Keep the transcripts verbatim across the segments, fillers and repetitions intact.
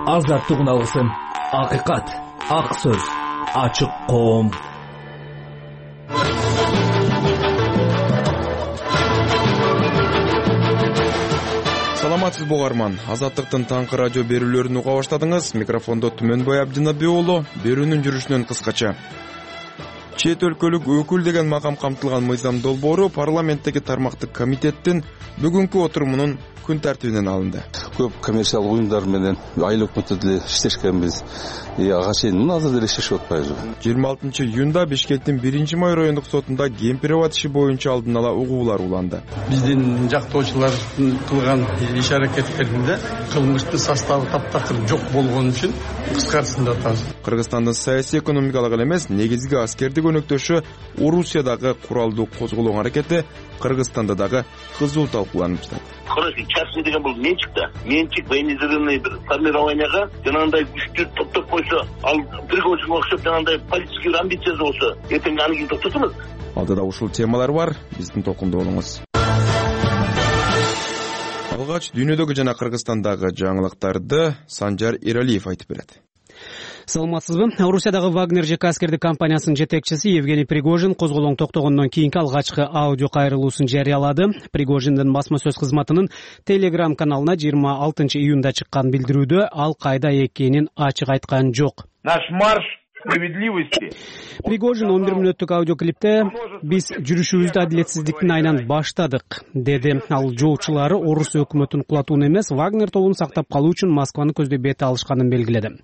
азаттык алгысым, акыйкат, ак сөз, ачык коом. Саламатсызбы угарман, Азаттыктын таңкы радио берүүлөрүн уга баштадыңыз. Микрофондо Түмөнбай Абдинабек уулу. Берүүнүн жүрүшүнөн кыскача. Чет өлкөлүк өкүл деген макам камтылган Мыйзам долбоору парламенттеги тармактык комитеттин бүгүнкү отурумунун күн тартибинен алынды. Көп коммерциялык уюмдар менен айыл өкмөттө деле иштешкенбиз. Ага чейин азыр деле иштешип атпайбызбы? жыйырма алтынчы июнда Бишкектин биринчи май райондук сотунда Кемпирабад иши боюнча алдын ала угуулар уланды. Биздин жактоочулардын кылган иш аракеттеринде кылмыштын составы таптакыр жок болгон үчүн кыскартысында атабыз. Кыргызстандын саясий экономикалык эле эмес, негизги аскердик өнөктөшү Орусиядагы куралдуу козголоң аракети Кыргызстанда дагы кызуу талкууланып жатат. Короче, частный деген бул менчик да. Менчик военизированный бир формированияга жанагындай күчтү топтоп койсо, ал приговорчуга окшоп жанагындай политический бир амбициясы болсо, эртең аны ким токтотот? Алдыда ушул темалар бар, биздин толкунда болуңуз. Алгач дүйнөдөгү жана Кыргызстандагы жаңылыктарды Санжар Эралиев айтып берет. Саламатсызбы? Орусиядагы Вагнер ЖК аскердик компаниясынын жетекчиси Евгений Пригожин козголоң токтогондон кийинки алгачкы аудио кайрылуусун жарыялады. Пригожиндин басма сөз кызматынын Telegram каналына жыйырма алтынчы июнда чыккан билдирүүдө ал кайда экенин ачык айткан жок. Наш марш справедливости. Пригожин он бир мүнөттүк аудиоклипте биз жүрүшүбүздү адилетсиздиктин айынан баштадык деди. Ал жоочулары Орус өкмөтүн кулатууну эмес, Вагнер тобун сактап калуу үчүн Москваны көздөй бет алышканын белгиледи.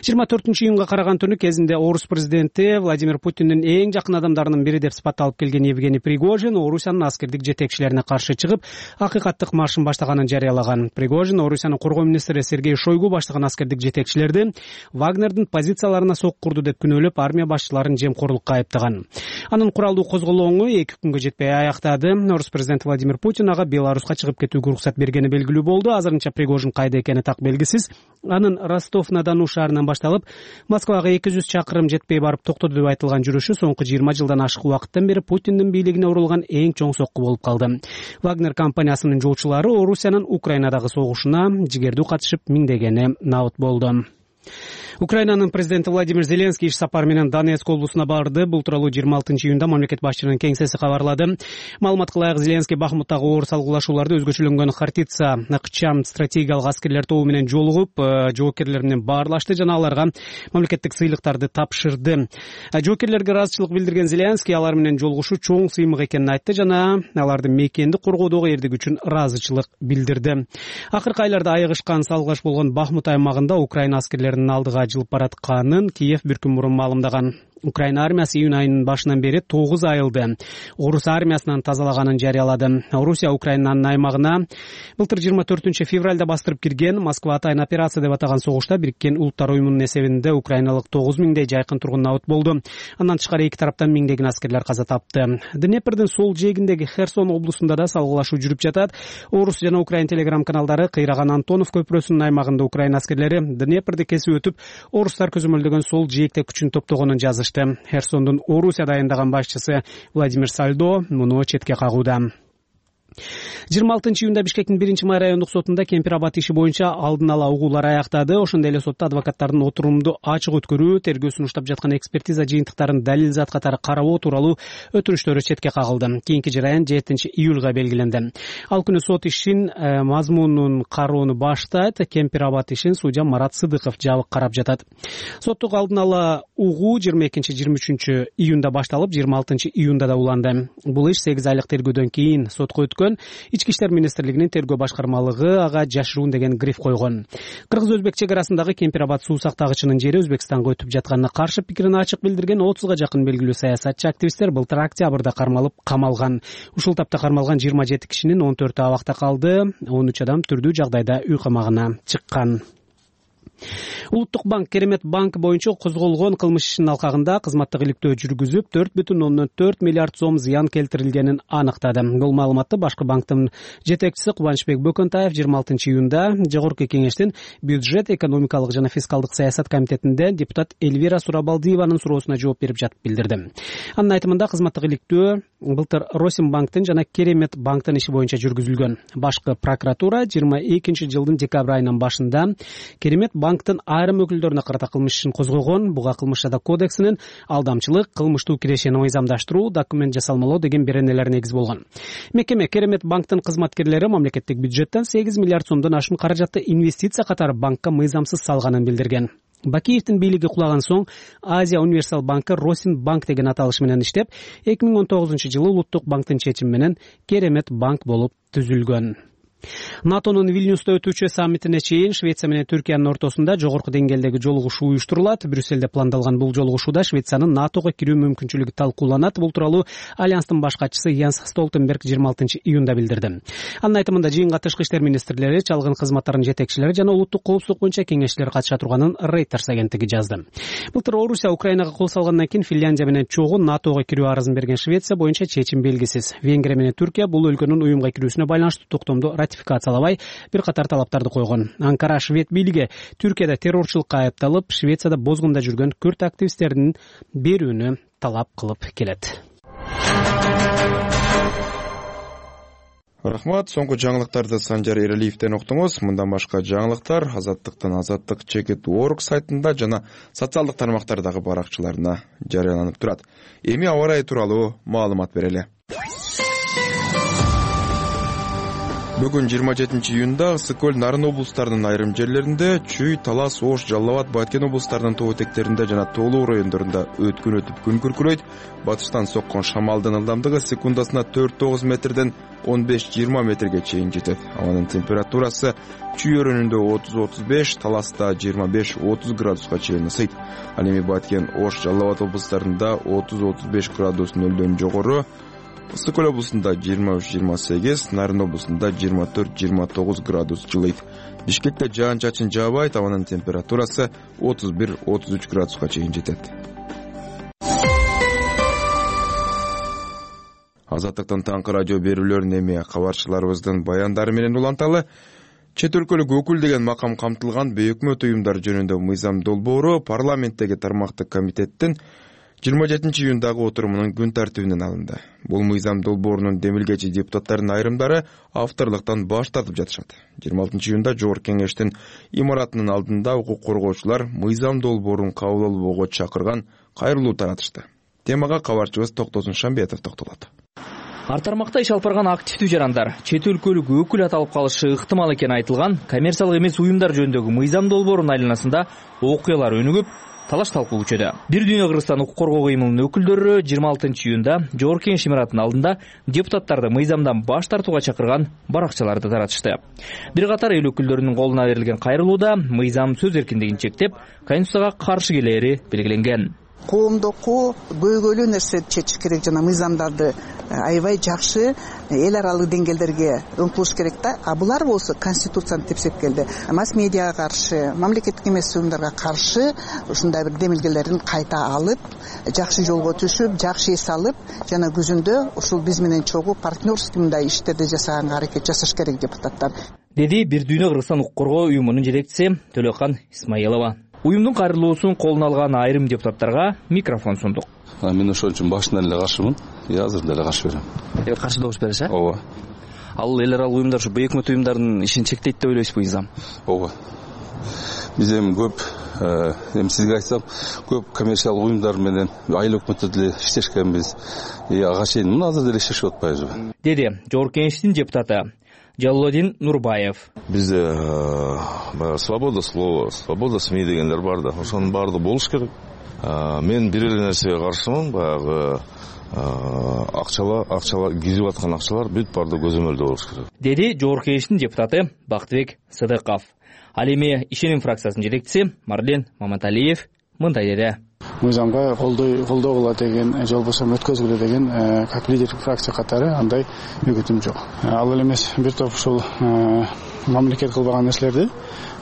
жыйырма төртүнчү июнга караган түнү кезинде Орус президенти Владимир Путиндин эң жакын адамдарынын бири деп сыпатталып келген Евгений Пригожин Орусиянын аскердик жетекчилерине каршы чыгып, акыйкаттык маршын баштаганын жарыялаган. Пригожин Орусиянын коргоо министри Сергей Шойгу баштаган аскердик жетекчилерди Вагнердин позицияларына соккурду деп күнөөлөп, армия башчыларын жемкорлукка айыптаган. Анын куралдуу козголоңу эки күнгө жетпей аяктады. Орус президенти Владимир Путин ага Беларуска чыгып кетүүгө уруксат бергени белгилүү болду. Азырынча Пригожин кайда экени так белгисиз. Анын Ростов-на-Дону шаарынан башталып, Москвага эки жүз чакырым жетпей барып токтоду деп айтылган жүрүшү соңку жыйырма жылдан ашык убакыттан бери Путиндин бийлигине урулган эң чоң сокку болуп калды. Вагнер компаниясынын жоочулары Орусиянын Украинадагы согушуна жигердүү катышып миңдегени набыт болду. Украинанын президенти Владимир Зеленский иш сапар менен Донецк облусуна барды. Бул тууралуу жыйырма алтынчы июнда мамлекет башчынын кеңсеси кабарлады. Маалыматка ылайык, Зеленский Бахмуттагы оор салгылашууларды өзгөчөлөнгөн Хартица, Накчам стратегиялык аскерлер тобу менен жолугуп, жоокерлер менен баарлашты жана аларга мамлекеттик сыйлыктарды тапшырды. Жоокерлерге ыраазычылык билдирген Зеленский алар менен жолугушуу чоң сыймык экенин айтты жана аларды мекенди коргоодогу эрдиги үчүн ыраазычылык билдирди. Акыркы айларда айыгышкан салгылаш болгон Бахмут аймагында Украина аскерлеринин алдыга жылып баратканын Киев бир күн мурун маалымдаган. Украина армиясы июнь айынын башынан бери тогуз айылды Орус армиясынан тазалаганын жарыялады. Орусия Украинанын аймагына былтыр жыйырма төртүнчү февралда бастырып кирген Москва атайын операция деп атаган согушта Бириккен Улуттар уюмунун эсебинде украиналык тогуз миңдей жайкын тургун набыт болду. Андан тышкары эки тараптан миңдеген аскерлер каза тапты. Днепрдин сол жээгиндеги Херсон облусунда да салгылашуу жүрүп жатат. Орус жана Украин телеграм каналдары кыйраган Антонов көпүрөсүнүн аймагында Украина аскерлери Днепрди кесип өтүп, орустар көзөмөлдөгөн сол жээкте күчүн топтогонун жазышты. Херсондун Орусия дайындаган башчысы Владимир Сальдо муну четке кагууда. жыйырма алтынчы июнда Бишкектин биринчи май райондук сотунда Кемпирабад иши боюнча алдын ала угуулар аяктады. Ошондой эле сотто адвокаттардын отурумду ачык өткөрүү, тергөөсүн уштап жаткан экспертиза жыйынтыктарын далил зат катары карабоо тууралуу өтүнүчтөрү четке кагылды. Кийинки жараян жетинчи июлга белгиленди. Ал күнү сот ишин э, мазмунун кароону баштайт. Кемпирабад ишин судья Марат Сыдыков жабык карап жатат. Соттук алдын ала угуу жыйырма экинчи жыйырма үчүнчү июнда башталып, жыйырма алтынчы июнда да уланды. Бул иш сегиз айлык тергөөдөн кийин сотко өткөн. Ички иштер министрлигинин тергөө башкармалыгы ага жашыруун деген гриф койгон. Кыргыз-өзбек чек арасындагы Кемпирабад суу сактагычынын жери Өзбекстанга өтүп жатканына каршы пикирин ачык билдирген отузга жакын белгилүү саясатчы активисттер былтыр октябрда кармалып камалган. Ушул тапта кармалган жыйырма жети кишинин он төртү абакта калды, он үч адам түрдүү жагдайда үй камагына чыккан. Улуттук банк Керемет банк боюнча козголгон кылмыш ишинин алкагында кызматтык иликтөө жүргүзүп, төрт бүтүн ондон төрт миллиард сом зыян келтирилгенин аныктады. Бул маалыматты башкы банктын жетекчиси Кубанычбек Бөкөнтаев жыйырма алтынчы июнда Жогорку кеңештин бюджет, экономикалык жана фискалдык саясат комитетинде депутат Эльвира Сурабалдиеванын суроосуна жооп берип жатып билдирди. Анын айтымында кызматтык иликтөө былтыр Росинбанктын жана Керемет банктын иши боюнча жүргүзүлгөн. Башкы прокуратура жыйырма экинчи жылдын декабрь айынын башында Керемет банктын айрым өкүлдөрүнө карата кылмыш ишин козгогон. Буга кылмыш жада кодексинин алдамчылык, кылмыштуу кирешени мыйзамдаштыруу, документ жасалмалоо деген беренелер негиз болгон. Мекеме Керемет банктын кызматкерлери мамлекеттик бюджеттен сегиз миллиард сомдон ашуун каражатты инвестиция катары банкка мыйзамсыз салганын билдирген. Бакиевдин бийлиги кулаган соң Азия универсал банкы Росинбанк деген аталыш менен иштеп, эки миң он тогузунчу жылы Улуттук банктын чечими менен Керемет банк болуп түзүлгөн. НАТОнун Вильнюста өтүүчү саммитине чейин Швеция менен Түркиянын ортосунда жогорку деңгээлдеги жолугушуу уюштурулат. Брюсселде пландалган бул жолугушууда Швециянын НАТОго кирүү мүмкүнчүлүгү талкууланат. Бул тууралуу Альянстын баш катчысы Янс Столтенберг жыйырма алтынчы июнда билдирди. Анын айтымында жыйынга тышкы иштер министрлери, чалгын кызматтарынын жетекчилери жана улуттук коопсуздук боюнча кеңешчилер катыша турганын Reuters агенттиги жазды. Былтыр Орусия Украинага кол салгандан кийин Финляндия менен чогуу НАТОго кирүү арызын берген Швеция боюнча чечим белгисиз. Венгрия менен Түркия бул өлкөнүн уюмга кирүүсүнө байланыштуу токтомду ратификациялабай бир катар талаптарды койгон. Анкара швед бийлиги Түркияда террорчулукка айыпталып, Швецияда бозгунда жүргөн күрд активисттердин берүүнү талап кылып келет. Рахмат. Соңку жаңылыктарды Санжар Эралиевден уктуңуз. Мындан башка жаңылыктар Азаттыктын азаттык чекит точка орг сайтында жана социалдык тармактардагы баракчаларына жарыяланып турат. Эми аба ырайы тууралуу маалымат берели. Бүгүн жыйырма жетинчи июнда Ысык көл, Нарын облустарынын айрым жерлеринде, Чүй, Талас, Ош, Жалал Абад, Баткен облустарынын тоо этектеринде жана тоолуу райондорунда өткөн өтүп күн күркүрөйт. Батыштан соккон шамалдын ылдамдыгы секундасына төрт тогуз метрден он беш жыйырма метрге чейин жетет. Абанын температурасы Чүй өрөөнүндө отуз отуз беш, Таласта жыйырма беш отуз градуска чейин ысыйт. Ал эми Баткен, Ош, Жалал Абад облустарында отуз отуз беш градус нөлдөн жогору, Ысык көл облусунда жыйырма үч жыйырма сегиз, Нарын облусунда жыйырма төрт жыйырма тогуз градус жылыйт. Бишкекте жаан-чачын жаабайт, абанын температурасы отуз бир отуз үч градуска чейин жетет. Азаттыктын таңкы радио берүүлөрүн эми кабарчыларыбыздын баяндары менен уланталы. Чет өлкөлүк өкүл деген макам камтылган бейөкмөт уюмдар жөнүндө мыйзам долбоору парламенттеги тармактык комитеттин жыйырма жетинчи июндагы отурумунун күн тартибинен алынды. Бул мыйзам долбоорунун демилгечи депутаттарынын айрымдары авторлуктан баш тартып жатышат. жыйырма алтынчы июнда Жогорку кеңештин имаратынын алдында укук коргоочулар мыйзам долбоорун кабыл алууга чакырган кайрылуу таратышты. Темага кабарчыбыз Токтосун Шамбетов токтолот. Ар тармакта иш алып барган активдүү жарандар, чет өлкөлүк өкүл аталып калышы ыктымал экени айтылган коммерциялык эмес уюмдар жөнүндөгү мыйзам долбоорунун айланасында окуялар өнүгүп, талаш талкуу күчөдө. Бир дүйнө Кыргызстан укук коргоо кыймылынын өкүлдөрү жыйырма алтынчы июнда Жогорку кеңеш имаратынын алдында депутаттарды мыйзамдан баш тартууга чакырган баракчаларды таратышты. Бир катар эл өкүлдөрүнүн колуна берилген кайрылууда мыйзам сөз эркиндигин чектеп, Конституцияга каршы келери белгиленген. Коомдоку көйгөйлүү нерсе чечиш керек жана мыйзамдарды аябай жакшы эл аралык деңгээлдерге ыңкылыш керек да. А булар болсо Конституцияны тепсеп келди. Масс медиага каршы, мамлекеттик эмес уюмдарга каршы ушундай бир демилгелерин кайта алып, жакшы жолго түшүп, жакшы эс алып, жана күзүндө ушул биз менен чогуу партнерский мындай иштерди жасаганга аракет жасаш керек депутаттар. Деди Бир дүйнө Кыргызстан укук коргоо уюмунун жетекчиси Төлөкан Исмаилова. Уюмдун кайрылуусун колуна алган айрым депутаттарга микрофон сундук. Мен ошон үчүн башынан эле каршымын. Я азыр деле каршы берем. Эми каршы добуш бересиз, э? Ооба. Ал эл аралык уюмдар ушу бейөкмөт уюмдардын ишин чектейт деп ойлойсузбу мыйзам? Ооба. Биз эми көп, эми сизге айтсам, көп коммерциялык уюмдар менен айыл өкмөттө деле иштешкенбиз. И ага чейин мына азыр деле иштешип атпайбызбы? Деди Жогорку кеңештин депутаты Жаллодин Нурбаев. Бизде свобода слова, свобода СМИ дегендер бар да. Ошонун баардыгы болуш керек. Мен бир эле нерсеге каршымын, баягы акчалар, акчалар кизип аткан акчалар бүт баардыгы көзөмөлдө болуш керек. Деди Жогорку кеңештин депутаты Бактыбек Сыдыков. Ал эми Ишеним фракциясынын жетекчиси Марлен Маматалиев мындай деди. Мыйзамга колдой колдогула деген, же болбосо өткөзгүлө деген, как лидер фракция катары андай үгүтүм жок. Ал эле эмес бир топ ушул мамлекет кылбаган нерселерди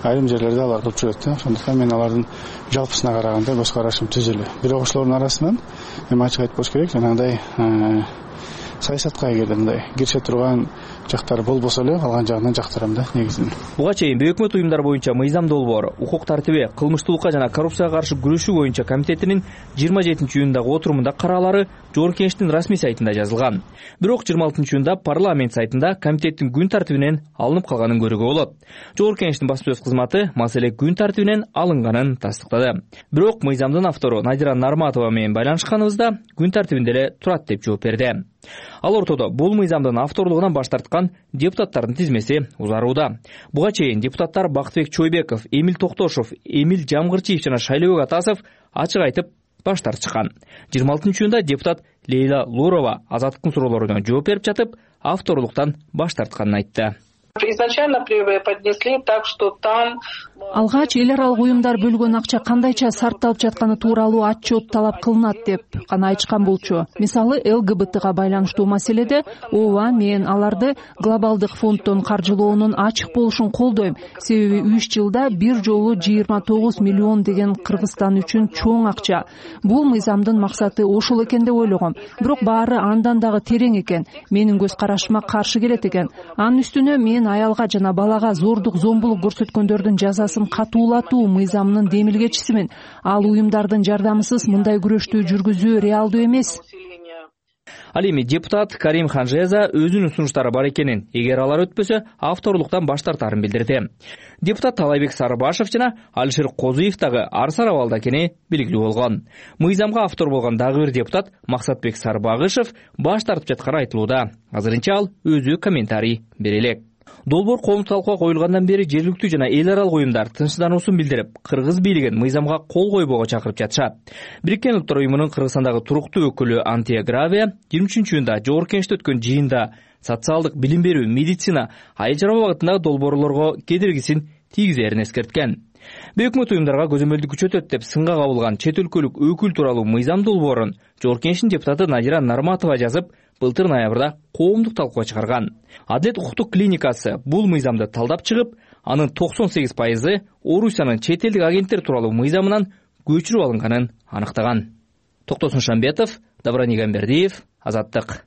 айрым жерлерде алар кылып жүрөт да. Ошондуктан мен алардын жалпысына караганда көз карашым түз эле. Бирок ошолордун арасынан эми ачык айтпош керек, жанагындай саясатка эгерде мындай киреше турган жактары болбосо эле калган жагынан жактырам да негизинен. Буга чейин бейөкмөт уюмдар боюнча мыйзам долбоор укук тартиби, кылмыштуулукка жана коррупцияга каршы күрөшүү боюнча комитетинин жыйырма жетинчи июндагы отурумунда караалары Жогорку Кеңештин расмий сайтында жазылган. Бирок жыйырма алтынчы июнда парламент сайтында комитеттин күн тартибинен алынып калганын көрүүгө болот. Жогорку Кеңештин басма сөз кызматы маселе күн тартибинен алынганын тастыктады. Бирок мыйзамдын автору Надира Нарматова менен байланышканыбызда күн тартибинде эле турат деп жооп берди. Ал ортодо бул мыйзамдын авторлугунан баш тарткан депутаттардын тизмеси узарууда. Буга чейин депутаттар Бактыбек Чойбеков, Эмил Токтошов, Эмил Жамгырчиев жана Шайлообек Атасов ачык айтып баш тартышкан. жыйырма алтынчы июнда депутат Лейла Лурова азаттыктын суроолоруна жооп берип жатып, авторлуктан баш тартканын айтты. Изначально преподнесли так, что там алгач эл аралык уюмдар бөлгөн акча кандайча сарпталып жатканы тууралуу отчет талап кылынат деп гана айтышкан болчу. Мисалы эл гэ бэ тэга байланыштуу маселеде ооба мен аларды глобалдык фонддон каржылоонун ачык болушун колдойм. Себеби үч жылда бир жолу жыйырма тогуз миллион деген Кыргызстан үчүн чоң акча. Бул мыйзамдын максаты ошол экен деп ойлогом. Бирок баары андан дагы терең экен. Менин көз карашыма каршы келет экен. Анын үстүнө мен аялга жана балага зордук зомбулук көрсөткөндөрдүн жазасын катуулатуу мыйзамынын демилгечисимин. Ал уюмдардын жардамысыз мындай күрөштү жүргүзүү реалдуу эмес. Ал эми депутат Карим Ханжеза өзүнүн сунуштары бар экенин, эгер алар өтпөсө, авторлуктан баш тартарын билдирди. Депутат Талайбек Сарыбашев жана Алишер Козуев дагы арсар абалда экени белгилүү болгон. Мыйзамга автор болгон дагы бир депутат Максатбек Сарбагышев баш тартып жатканы айтылууда. Азырынча ал өзү комментарий бере элек. Долбоор коомдук талкууга коюлгандан бери жергиликтүү жана эл аралык уюмдар тынчсыздануусун билдирип, кыргыз бийлигин мыйзамга кол койбоого чакырып жатышат. Бириккен Улуттар уюмунун Кыргызстандагы туруктуу өкүлү Антия Гравия жыйырма үчүнчү июнда Жогорку Кеңеште өткөн жыйында социалдык билим берүү, медицина, айыл чарба багытындагы долбоорлорго кедергисин тийгизерин эскерткен. Бейөкмөт уюмдарга көзөмөлдүк күчөтөт деп сынга кабылган чет өлкөлүк өкүл тууралуу мыйзам долбоорун Жогорку Кеңештин депутаты Надира Нарматова жазып, былтыр ноябрда коомдук талкууга чыгарган. Адилет укуктук клиникасы бул мыйзамды талдап чыгып, анын токсон сегиз пайызы Орусиянын чет элдик агенттер тууралуу мыйзамынан көчүрүп алынганын аныктаган. Токтосун Шамбетов, Даврани Гамбердиев, Азаттык.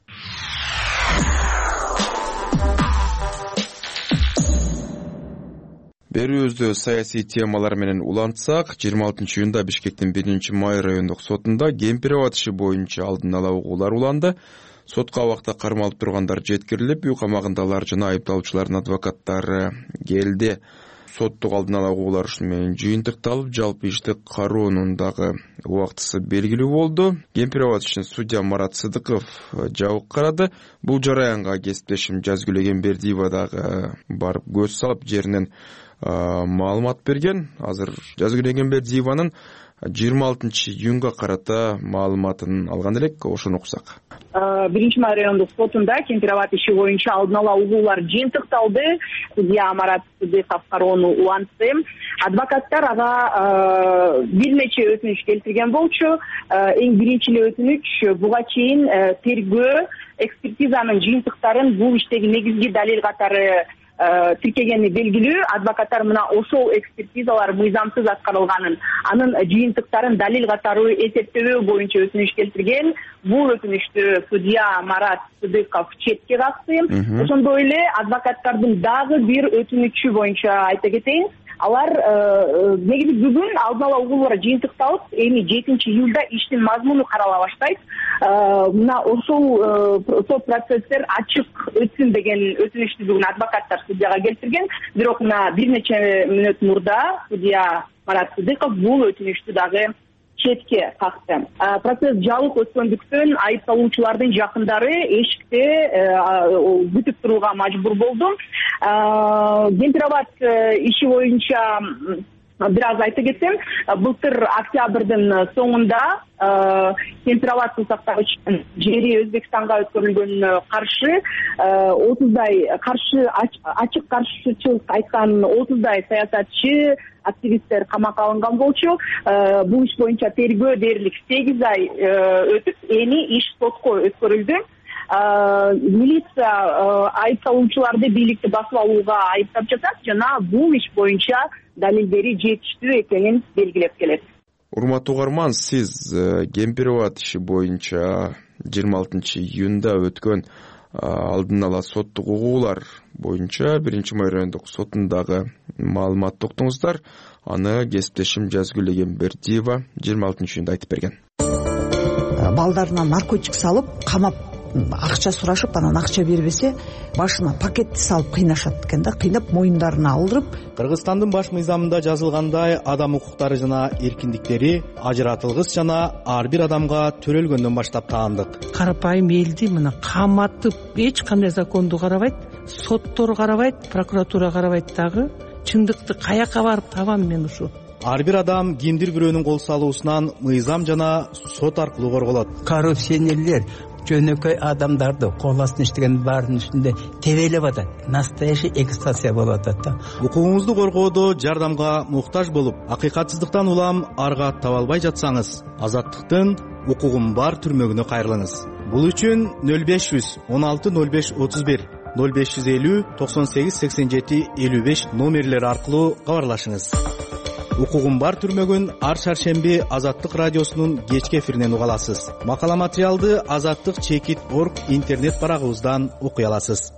Берүүбүздө саясий темалар менен улантсак, жыйырма алтынчы июнда Бишкектин биринчи май райондук сотунда Кемпир аба иши боюнча алдын ала угуулар уланды. Сотко абакта кармалып тургандар жеткирилип, үй камагындалар жана айыпталуучулардын адвокаттары келди. Соттук алдын ала угуулар ушуну менен жыйынтыкталып, жалпы ишти кароонун дагы убактысы белгилүү болду. Кемпир аба ишин судья Марат Сыдыков жабык карады. Бул жараянга кесиптешим Жазгүл Эгембердиева дагы барып көз салып, жеринен маалымат берген. Азыр Жазгүл Эгембердиеванын жыйырма алтынчы июнга карата маалыматын алган элек, ошону уксак. биринчи май райондук сотунда Кемпир аба иши боюнча алдын ала угуулар жыйынтыкталды. Судья Марат Сыдыков кароону улантты. Адвокаттар ага бир нече өтүнүч келтирген болчу. Эң биринчи эле өтүнүч буга чейин тергөө экспертизанын жыйынтыктарын бул иштеги негизги далил катары тиркегени белгилүү. Адвокаттар мына ошол экспертизалар мыйзамсыз аткарылганын, анын жыйынтыктарын далил катары эсептөө боюнча өтүнүч келтирген. Бул өтүнүчтү судья Марат Сыдыков четке какты. Ошондой эле адвокаттардын дагы бир өтүнүчү боюнча айта кетейин. Алар негизи бүгүн алдын ала угуулар жыйынтыкталып, эми жетинчи июлда иштин мазмуну карала баштайт. Мына ошол сот процесстер ачык өтсүн деген өтүнүчтү бүгүн адвокаттар судьяга келтирген. Бирок мына бир нече мүнөт мурда судья Марат Сыдыков бул өтүнүчтү дагы четке какты. Процесс жабык өткөндүктөн айыпталуучулардын жакындары эшикте күтүп турууга мажбур болду. Кемпир аба иши боюнча бир аз айта кетсем, былтыр октябрдын соңунда Кемпир аба суу сактагычынын жери Өзбекстанга өткөрүлгөнүнө каршы отуздай каршы ачык каршычылык айткан отуздай саясатчы, активисттер камакка алынган болчу. Бул иш боюнча тергөө дээрлик сегиз ай өтүп, эми иш сотко өткөрүлдү. Милиция айыпталуучуларды бийликти басып алууга айыптап жатат жана бул иш боюнча далилдери жетиштүү экенин белгилеп келет. Урматтуу угарман, сиз Кемпир аба иши боюнча жыйырма алтынчы июнда өткөн алдын ала соттук угуулар боюнча биринчи май райондук сотундагы маалыматты уктуңуздар. Аны кесиптешим Жазгүл Эгембердиева жыйырма алтынчы июнда айтып берген. Балдарына наркотик салып, камап, акча сурашып, анан акча бербесе, башына пакетти салып кыйнашат экен да, кыйнап моюндарына алдырып. Кыргызстандын баш мыйзамында жазылгандай, адам укуктары жана эркиндиктери ажыратылгыс жана ар бир адамга төрөлгөндөн баштап таандык. Карапайым элди мына каматып, эч кандай законду карабайт, соттор карабайт, прокуратура карабайт дагы. Чындыкты каяка барып табам мен ушу? Ар бир адам кимдир бирөөнүн кол салуусунан мыйзам жана сот аркылуу корголот. Коррупционерлер жөнөкөй адамдарды кол астына иштеген баардын үстүндө тебелеп атат. Настоящий эксплуатация болуп атат да. Укугуңузду коргоодо жардамга муктаж болуп, акыйкатсыздыктан улам арга таба албай жатсаңыз, Азаттыктын укугум бар түрмөгүнө кайрылыңыз. Бул үчүн нөл беш жүз он алты нөл беш отуз бир нөл беш жүз элүү токсон сегиз сексен жети элүү беш номерлери аркылуу кабарлашыңыз. Укугум бар түрмөгүн ар шаршемби Азаттык радиосунун кечки эфиринен уга аласыз. Макала материалды азаттык чекит точка орг интернет барагыбыздан окуй аласыз.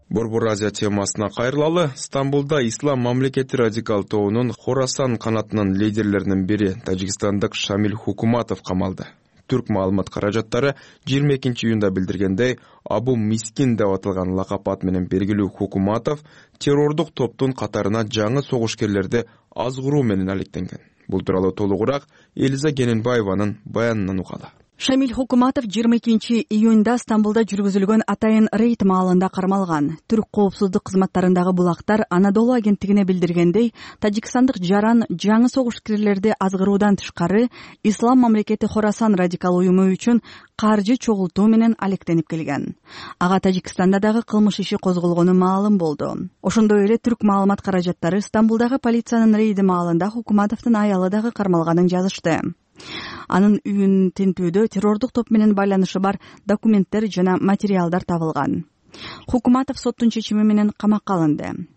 Борбор Азия темасына кайрылалы. Стамбулда Ислам мамлекети радикал тобунун Хорасан канатынын лидерлеринин бири тажикстандык Шамиль Хукуматов камалды. Түрк маалымат каражаттары жыйырма экинчи июнда билдиргендей, Абу Мискин деп аталган лакап ат менен белгилүү Хукуматов террордук топтун катарына жаңы согушкерлерди азгыруу менен алектенген. Бул тууралуу толугураак Элиза Кененбаеванын баянынан угалы. Шамиль Хукуматов жыйырма экинчи июнда Стамбулда жүргүзүлгөн атайын рейд маалында кармалган. Түрк коопсуздук кызматтарындагы булактар Анадолу агенттигине билдиргендей, тажикстандык жаран жаңы согушкерлерди азгыруудан тышкары Ислам мамлекети Хорасан радикал уюму үчүн каржы чогултуу менен алектенип келген. Ага Тажикстанда дагы кылмыш иши козголгону маалым болду. Ошондой эле түрк маалымат каражаттары Стамбулдагы полициянын рейди маалында Хукуматовдун аялы дагы кармалганын жазышты. Анын үйүн тинтүүдө террордук топ менен байланышы бар документтер жана материалдар табылган. Хукуматов соттун чечими менен камакка алынды.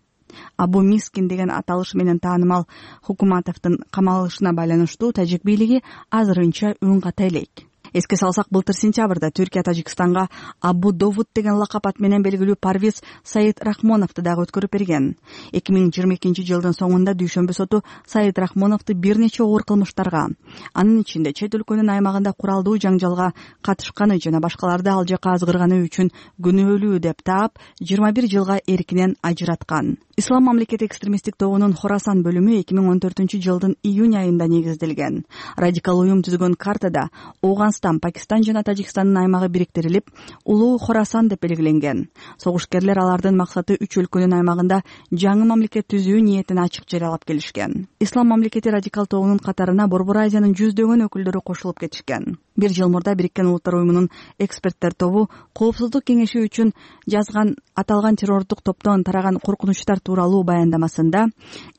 Абу Мискин деген аталыш менен таанымал Хукуматовдун камалышына байланыштуу тажик бийлиги азырынча үн ката элек. Эске салсак, былтыр сентябрда Түркия Тажикстанга Абу Довуд деген лакап ат менен белгилүү Парвиз Саид Рахмоновду дагы өткөрүп берген. эки миң жыйырма экинчи жылдын соңунда дүйшөмбү соту Саид Рахмоновду бир нече оор кылмыштарга, анын ичинде чет өлкөнүн аймагында куралдуу жаңжалга катышканы жана башкаларды ал жака азгырганы үчүн күнөөлүү деп таап, жыйырма бир жылга эркинен ажыраткан. Ислам мамлекети экстремисттик тобунун Хорасан бөлүмү эки миң он төртүнчү жылдын июнь айында негизделген. Радикал уюм түзгөн картада Ооганстан, Пакистан жана Тажикстандын аймагы бириктирилип, Улуу Хорасан деп белгиленген. Согушкерлер алардын максаты үч өлкөнүн аймагында жаңы мамлекет түзүү ниетин ачык жарыялап келишкен. Ислам мамлекети радикал тобунун катарына Борбор Азиянын жүздөгөн өкүлдөрү кошулуп кетишкен. Бир жыл мурда Бириккен Улуттар уюмунун эксперттер тобу Коопсуздук кеңеши үчүн жазган аталган террордук топтон тараган коркунучтар тууралуу баяндамасында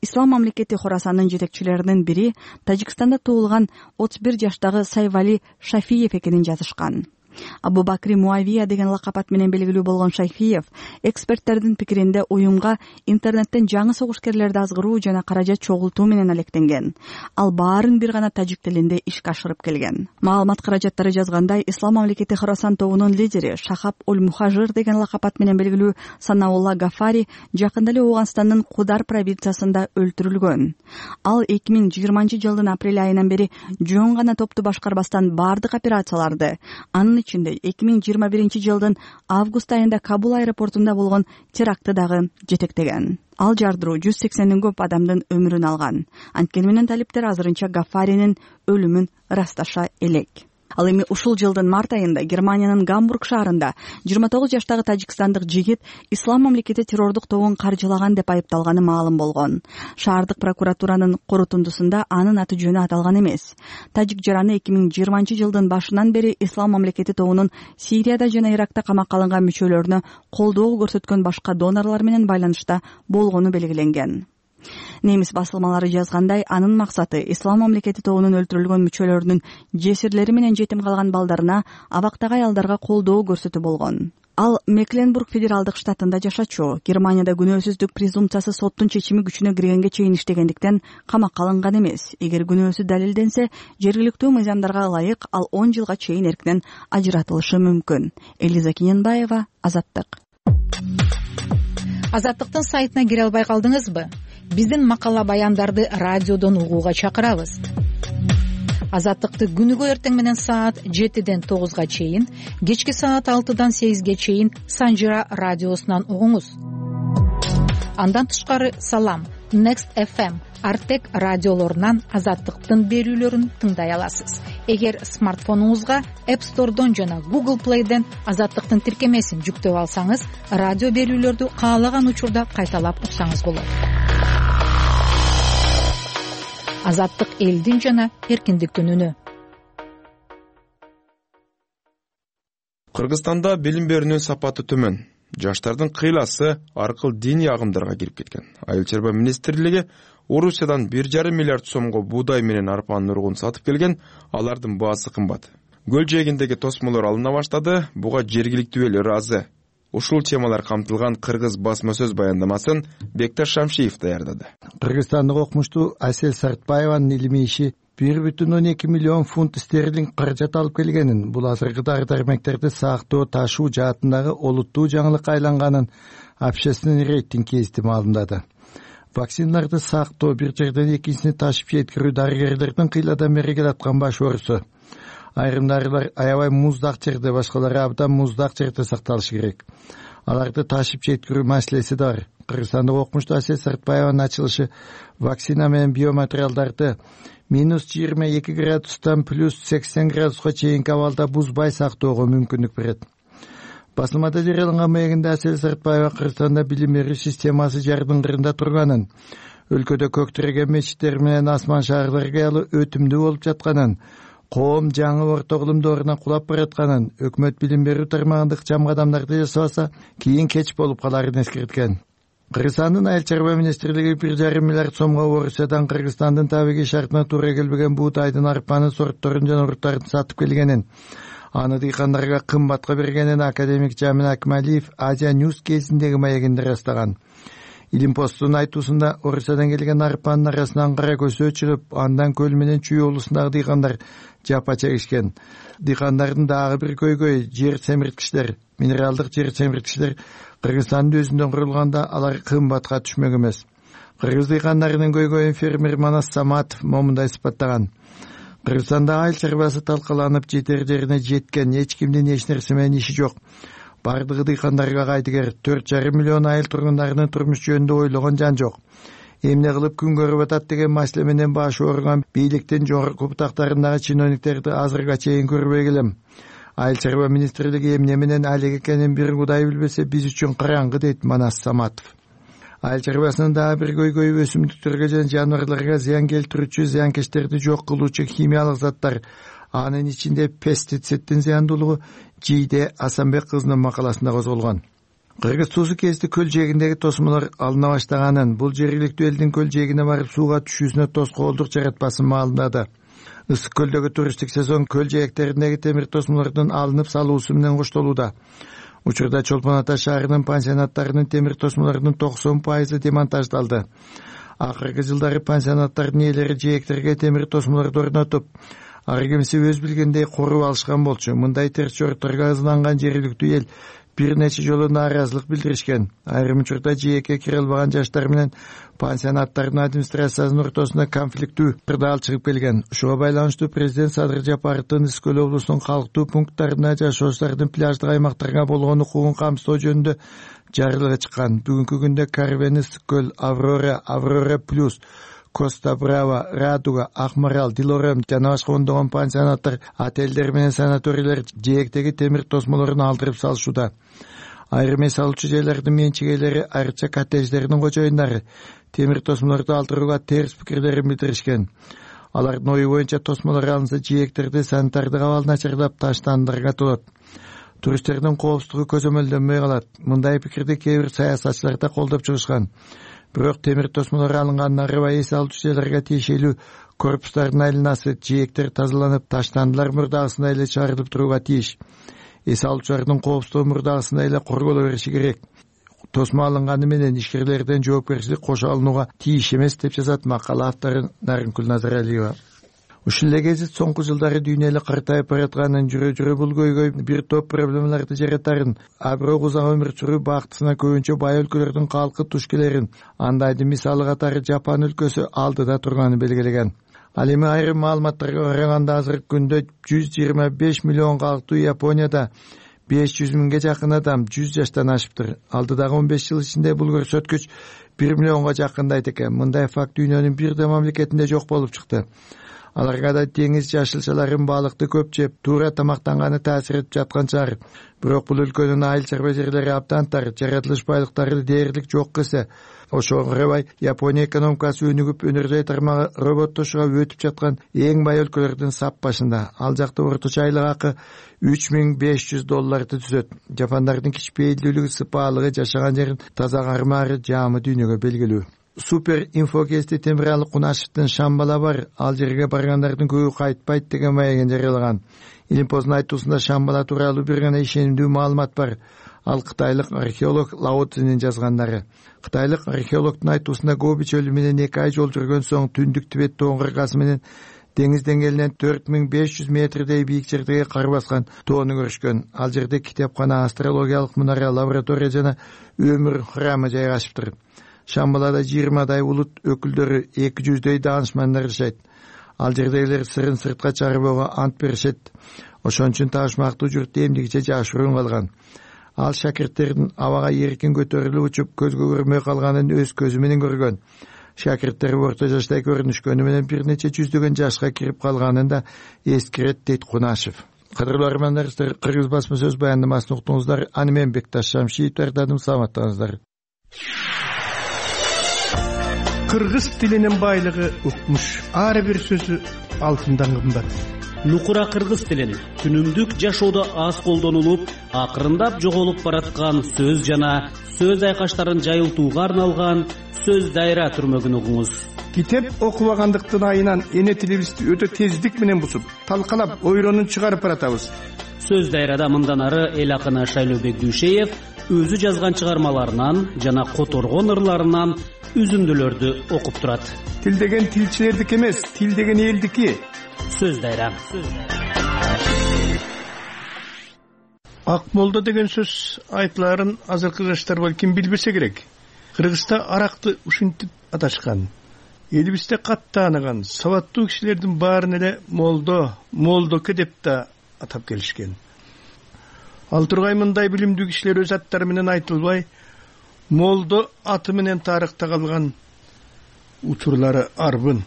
Ислам мамлекети Хорасандын жетекчилеринин бири Тажикстанда туулган отуз бир жаштагы Сайвали Шафиев экенин жазышкан. Абу Бакри Муавия деген лакап ат менен белгилүү болгон Шайфиев эксперттердин пикиринде уюмга интернеттен жаңы согушкерлерди азгыруу жана каражат чогултуу менен алектенген. Ал баарын бир гана тажик тилинде ишке ашырып келген. Маалымат каражаттары жазгандай, Ислам мамлекети Хорасан тобунун лидери Шахаб Оль-Мухажир деген лакап ат менен белгилүү Санаулла Гафари жакында эле Ооганстандын Кудар провинциясында өлтүрүлгөн. Ал эки миң жыйырманчы жылдын апрель айынан бери жөн гана топту башкарбастан баардык операцияларды, анын ичинде эки миң жыйырма биринчи жылдын август айында Кабул аэропортунда болгон терактты дагы жетектеген. Ал жардыруу жүз сексенден көп адамдын өмүрүн алган. Анткени менен талиптер азырынча Гафаринин өлүмүн ырасташа элек. Ал эми ушул жылдын март айында Германиянын Гамбург шаарында жыйырма тогуз жаштагы тажикстандык жигит Ислам мамлекети террордук тобун каржылаган деп айыпталганы маалым болгон. Шаардык прокуратуранын корутундусунда анын аты жөнү аталган эмес. Тажик жараны эки миң жыйырманчы жылдын башынан бери Ислам мамлекети тобунун Сирияда жана Иракта камакка алынган мүчөлөрүнө колдоо көрсөткөн башка донорлор менен байланышта болгону белгиленген. Немис басылмалары жазгандай, анын максаты Ислам мамлекети тобунун өлтүрүлгөн мүчөлөрүнүн жесирлери менен жетим калган балдарына, абактагы аялдарга колдоо көрсөтүү болгон. Ал Мекленбург федералдык штатында жашачу. Германияда күнөөсүздүк презумпциясы соттун чечими күчүнө киргенге чейин иштегендиктен камакка алынган эмес. Эгер күнөөсү далилденсе, жергиликтүү мыйзамдарга ылайык ал он жылга чейин эркинен ажыратылышы мүмкүн. Элиза Кененбаева, Азаттык. Азаттыктын сайтына кире албай калдыңызбы? Биздин макала баяндарды радиодон угууга чакырабыз. Азаттыкты күнүгө эртең менен саат жетиден тогузга чейин, кечки саат алтыдан сегизге чейин Санжира радиосунан угуңуз. Андан тышкары Салам, Next эф эм, Артек радиолорунан Азаттыктын берүүлөрүн тыңдай аласыз. Эгер смартфонуңузга App Store'дон жана Google Play'ден Азаттыктын тиркемесин жүктөп алсаңыз, радио берүүлөрдү каалаган учурда кайталап уксаңыз болот. Азаттык элдин жана эркиндиктин үнү. Кыргызстанда билим берүүнүн сапаты төмөн. Жаштардын кыйласы аркыл диний агымдарга кирип кеткен. Айыл чарба министрлиги Орусиядан бир жарым миллиард сомго буудай менен арпанын уругун сатып келген, алардын баасы кымбат. Көл жээгиндеги тосмолор алына баштады, буга жергиликтүү эл ыраазы. Ушул темалар камтылган кыргыз басма сөз баяндамасын Бекташ Шамшиев даярдады. Кыргызстандык окумуштуу Асел Сартбаеванын илимий иши бир бүтүн он эки миллион фунт стерлинг каражат алып келгенин, бул азыркы дары-дармектерди сактоо, ташуу жаатындагы олуттуу жаңылыкка айланганын общественный рейтинг гезити маалымдады. Вакциналарды сактоо, бир жерден экинчисине ташып жеткирүү дарыгерлердин кыйладан бери келаткан баш оорусу. Айрым дарылар аябай муздак жерде, башкалары абдан муздак жерде сакталышы керек. Аларды ташып жеткирүү маселеси да бар. Кыргызстандык окумуштуу Асел Сартбаеванын ачылышы вакцина менен биоматериалдарды минус жыйырма эки градустан плюс сексен градуска чейинки абалда бузбай сактоого мүмкүндүк берет. Басылмада жарыяланган маегинде Асел Сартбаева Кыргызстанда билим берүү системасы жардыңгырында турганын, өлкөдө көк тиреген мечиттер менен асман шаарлар кыялы өтүмдүү болуп жатканын, коом жаңы орто кылым доорунан кулап баратканын, өкмөт билим берүү тармагында ыкчам кадамдарды жасабаса, кийин кеч болуп каларын эскерткен. Кыргызстандын айыл чарба министрлиги бир жарым миллиард сомго Орусиядан Кыргызстандын табиғи шартына туура келбеген буутайдын, арпанын сортторун жана урттарын сатып келгенин, аны дыйкандарга кымбатка бергенин академик Жамин Акмалиев Азия Ньюс кезиндеги маегинде ырастаган. Илим постунун айтуусунда Орусиядан келген арпанын арасынан кара көсөө чыгып, андан көл менен Чүй облусундагы дыйкандар жапа чегишкен. Дыйкандардын дагы бир көйгөй жер семирткичтер, минералдык жер семирткичтер Кыргызстандын өзүндөн курулганда алар кымбатка түшмөк эмес. Кыргыз дыйкандарынын көйгөйүн фермер Манас Саматов момундай сыпаттаган. Кыргызстанда айыл чарбасы талкаланып жетер жерине жеткен, эч кимдин эч нерсе менен иши жок. Бардыгы дыйкандарга кайтыгер, төрт жарым миллион айыл тургундарынын турмуш жөнүндө ойлогон жан жок. Эмне кылып күн көрүп атат деген маселе менен башы ооруган бийликтин жогорку бутактарындагы чиновниктерди азырга чейин көрбөй келем. Айыл чарба министрлиги эмне менен алек экенин бир Кудай билбесе, биз үчүн караңгы, дейт Манас Саматов. Айыл чарбасынын дагы бир көйгөйү өсүмдүктөргө жана жаныбарларга зыян келтирүүчү, зыянкечтерди жок кылуучу химиялык заттар, анын ичинде пестициддин зыяндуулугу Жийде Асанбек кызынын макаласында козголгон. Кыргыз туусу кезде көл жээгиндеги тосмолор алына баштаганын, бул жергиликтүү элдин көл жээгине барып сууга түшүүсүнө тоскоолдук жаратпасын маалымдады. Ысык көлдөгү туристтик сезон көл жээктериндеги темир тосмолордун алынып салуусу менен коштолууда. Учурда Чолпон Ата шаарынын пансионаттарынын темир тосмолорунун токсон пайызы демонтаждалды. Акыркы жылдары пансионаттардын ээлери жээктерге темир тосмолорду орнотуп, ар кимси өз билгендей коруп алышкан болчу. Мындай терс жорукторго ызаланган жергиликтүү эл бир нече жолу нааразылык билдиришкен. Айрым учурда жээкке кире албаган жаштар менен пансионаттардын администрациясынын ортосунда конфликттүү кырдаал чыгып келген. Ушуга байланыштуу президент Садыр Жапаровдун Ысык көл облусунун калктуу пункттарына жашоочулардын пляждык аймактарга болгон укугун камсыздоо жөнүндө жарыялыгы чыккан. Бүгүнкү күндө Карвен, Ысык көл, Аврора, Аврора плюс, Коста Брава, Радуга, Акмарал, Дилорем жана башка ондогон пансионаттар, отелдер менен санаторийлер жээктеги темир тосмолорун алдырып салышууда. Айрым эс алуучу жайлардын менчигейлери, айрыкча коттедждердин кожоюндары темир тосмолорду алдырууга терс пикирлерин билдиришкен. Алардын ою боюнча тосмолор алынса жээктерди санитардык абал начарлап таштандырга болот. Туристтердин коопсуздугу көзөмөлдөнбөй калат. Мындай пикирди кээ бир саясатчылар да колдоп чыгышкан. Бирок темир тосмолор алынган арыбай эс алуучу жайларга тиешелүү корпустардын айланасы, жээктер тазаланып, таштандылар мурдагысындай эле чыгарылып турууга тийиш. эс алуучулардын коопсуздугу мурдагысындай эле корголо бериши керек. Тосмо алынганы менен ишкерлерден жоопкерчилик кошо алынууга тийиш эмес деп жазат макала автору Наринкүл Назаралиева. Ушул эле гезит соңку жылдары дүйнө эле картайып баратканын, жүрө жүрө бул көйгөй бир топ проблемаларды жаратарын, а бирок узак өмүр сүрүү бактысына көбүнчө бай өлкөлөрдүн калкы туш келерин, андайдын мисалы катары Жапан өлкөсү алдыда турганын белгилеген. Ал эми айрым маалыматтарга караганда азыркы күндө жүз жыйырма беш миллион калктуу Японияда беш жүз миңге жакын адам жүз жаштан ашыптыр. Алдыдагы он беш жыл ичинде бул көрсөткүч бир миллионго жакындайт экен. Мындай факт дүйнөнүн бир да мамлекетинде жок болуп чыкты. Аларга да деңиз жашылчаларын, балыкты көп жеп, туура тамактанганы таасир этип жаткан чыгар. Бирок бул өлкөнүн айыл чарба жерлери абдан тар, жаратылыш байлыктары дээрлик жок кесе. Ошого карабай Япония экономикасы өнүгүп, өнөрдөй тармагы роботтошууга өтүп жаткан эң бай өлкөлөрдүн сап башында. Ал жакта орточо айлык акы үч миң беш жүз долларды түзөт. Жапондардын кичпейилдүүлүгү, сыпаалыгы, жашаган жерин таза кармаары жаамы дүйнөгө белгилүү. Супер инфокести Темиралы Кунашевдин Шамбала бар, ал жерге баргандардын көбү кайтпайт деген маегин жарыялаган. Илимпоздун айтуусунда Шамбала тууралуу бир гана ишенимдүү маалымат бар. Ал кытайлык археолог Лао Цзинин жазгандары. Кытайлык археологдун айтуусунда Гоби чөлү менен эки ай жол жүргөн соң түндүк Тибет тоонун кыркасы менен деңиз деңгээлинен төрт миң беш жүз метрдей бийик жердеги кар баскан тоону көрүшкөн. Ал жерде китепкана, астрологиялык мунара, лаборатория жана өмүр храмы жайгашыптыр. Шамбалада жыйырмадай улут өкүлдөрү, эки жүздөй даанышмандар жашайт. Ал жердегилер сырын сыртка чыгарбоого ант беришет. Ошон үчүн таашмактуу журт эмдигиче жашыруун калган. Ал шакирттердин абага эркин көтөрүлүп учуп, көзгө көрмөй калганын өз көзү менен көргөн. Шакирттер орто жаштай көрүнүшкөнү менен бир нече жүздөгөн жашка кирип калганын да эскерет дейт Кунашев. Кадырлуу армандаштар, Кыргыз басма сөз баяндамасын уктуңуздар. Аны мен Бекташ Шамшиев даярдадым. Саламаттаңыздар. Кыргыз тилинин байлыгы укмуш. Ар бир сөзү алтындан кымбат. Нукура кыргыз тилин күнүмдүк жашоодо аз колдонулуп, акырындап жоголуп бараткан сөз жана сөз айкаштарын жайылтууга арналган сөз дайра түрмөгүн угуңуз. Китеп окубагандыктын айынан эне тилибизди өтө тездик менен бузуп, талкалап, ойронун чыгарып баратабыз. Сөз дайрада мындан ары эл акыны Шайлообек Дүйшеев өзү жазган чыгармаларынан жана которгон ырларынан үзүндүлөрдү окуп турат. Тил деген тилчилердики эмес, тил деген элдики. Сөз дайра. Акмолдо деген сөз айтыларын азыркы жаштар балким билбесе керек. Кыргызда аракты ушинтип аташкан. Элибизде кат тааныган сабаттуу кишилердин баарын эле молдо, молдоке деп да атап келишкен. Ал тургай мындай билимдүү кишилер өз аттары менен айтылбай, молдо аты менен тарыхта калган учурлары арбын.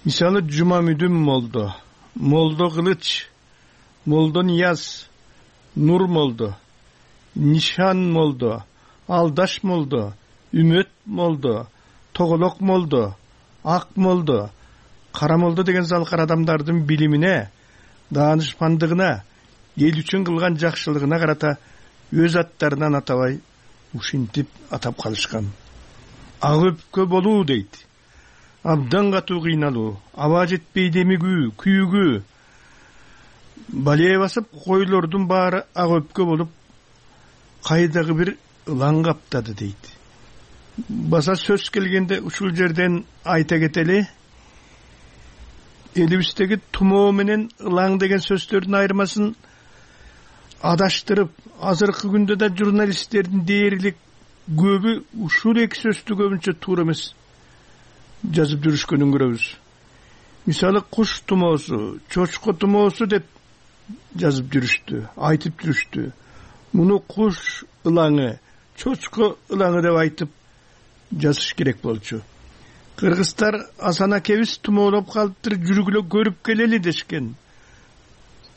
Мисалы Жумамүдүн молдо, молдо Кылыч, молдо Нияз, Нур молдо, Нишан молдо, Алдаш молдо, Үмөт молдо, Тоголок молдо, Ак молдо, Кара молдо деген залкар адамдардын билимине, даанышмандыгына, эл үчүн кылган жакшылыгына карата өз аттарынан атабай ушинтип атап калышкан. Ак өпкө болуу дейт. Абдан катуу кыйналуу, аба жетпей демигүү, күйүгүү. Балее басып койлордун баары ак өпкө болуп, кайдагы бир ылаң каптады дейт. Баса сөз келгенде ушул жерден айта кетели, элибиздеги тумоо менен ылаң деген сөздөрдүн айырмасын адаштырып, азыркы күндө да журналисттердин дээрлик көбү ушул эки сөздү көбүнчө туура эмес жазып жүрүшкөнүн көрөбүз. Мисалы куш тумоосу, чочко тумоосу деп жазып жүрүштү, айтып жүрүштү. Муну куш ылаңы, чочко ылаңы деп айтып жазыш керек болчу. Кыргыздар Асан акебиз тумоолоп калыптыр, жүргүлө көрүп келели дешкен.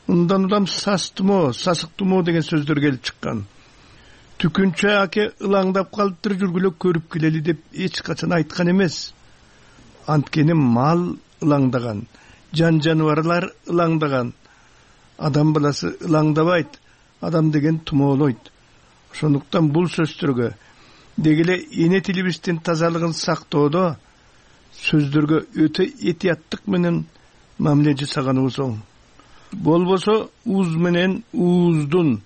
Ундан улам сас тумоо, сасык тумоо деген сөздөр келип чыккан. Түкүнчө аке ылаңдап калыптыр, жүргүлө көрүп келели деп эч качан айткан эмес. Анткени мал ылаңдаган, жан жаныбарлар ылаңдаган. Адам баласы ылаңдабайт, адам деген тумоолойт. Ошондуктан бул сөздөргө дегеле эне тилибиздин тазалыгын сактоодо сөздөргө өтө этияттык менен мамиле жасаганыбыз оң. болбосо уз менен ууздун,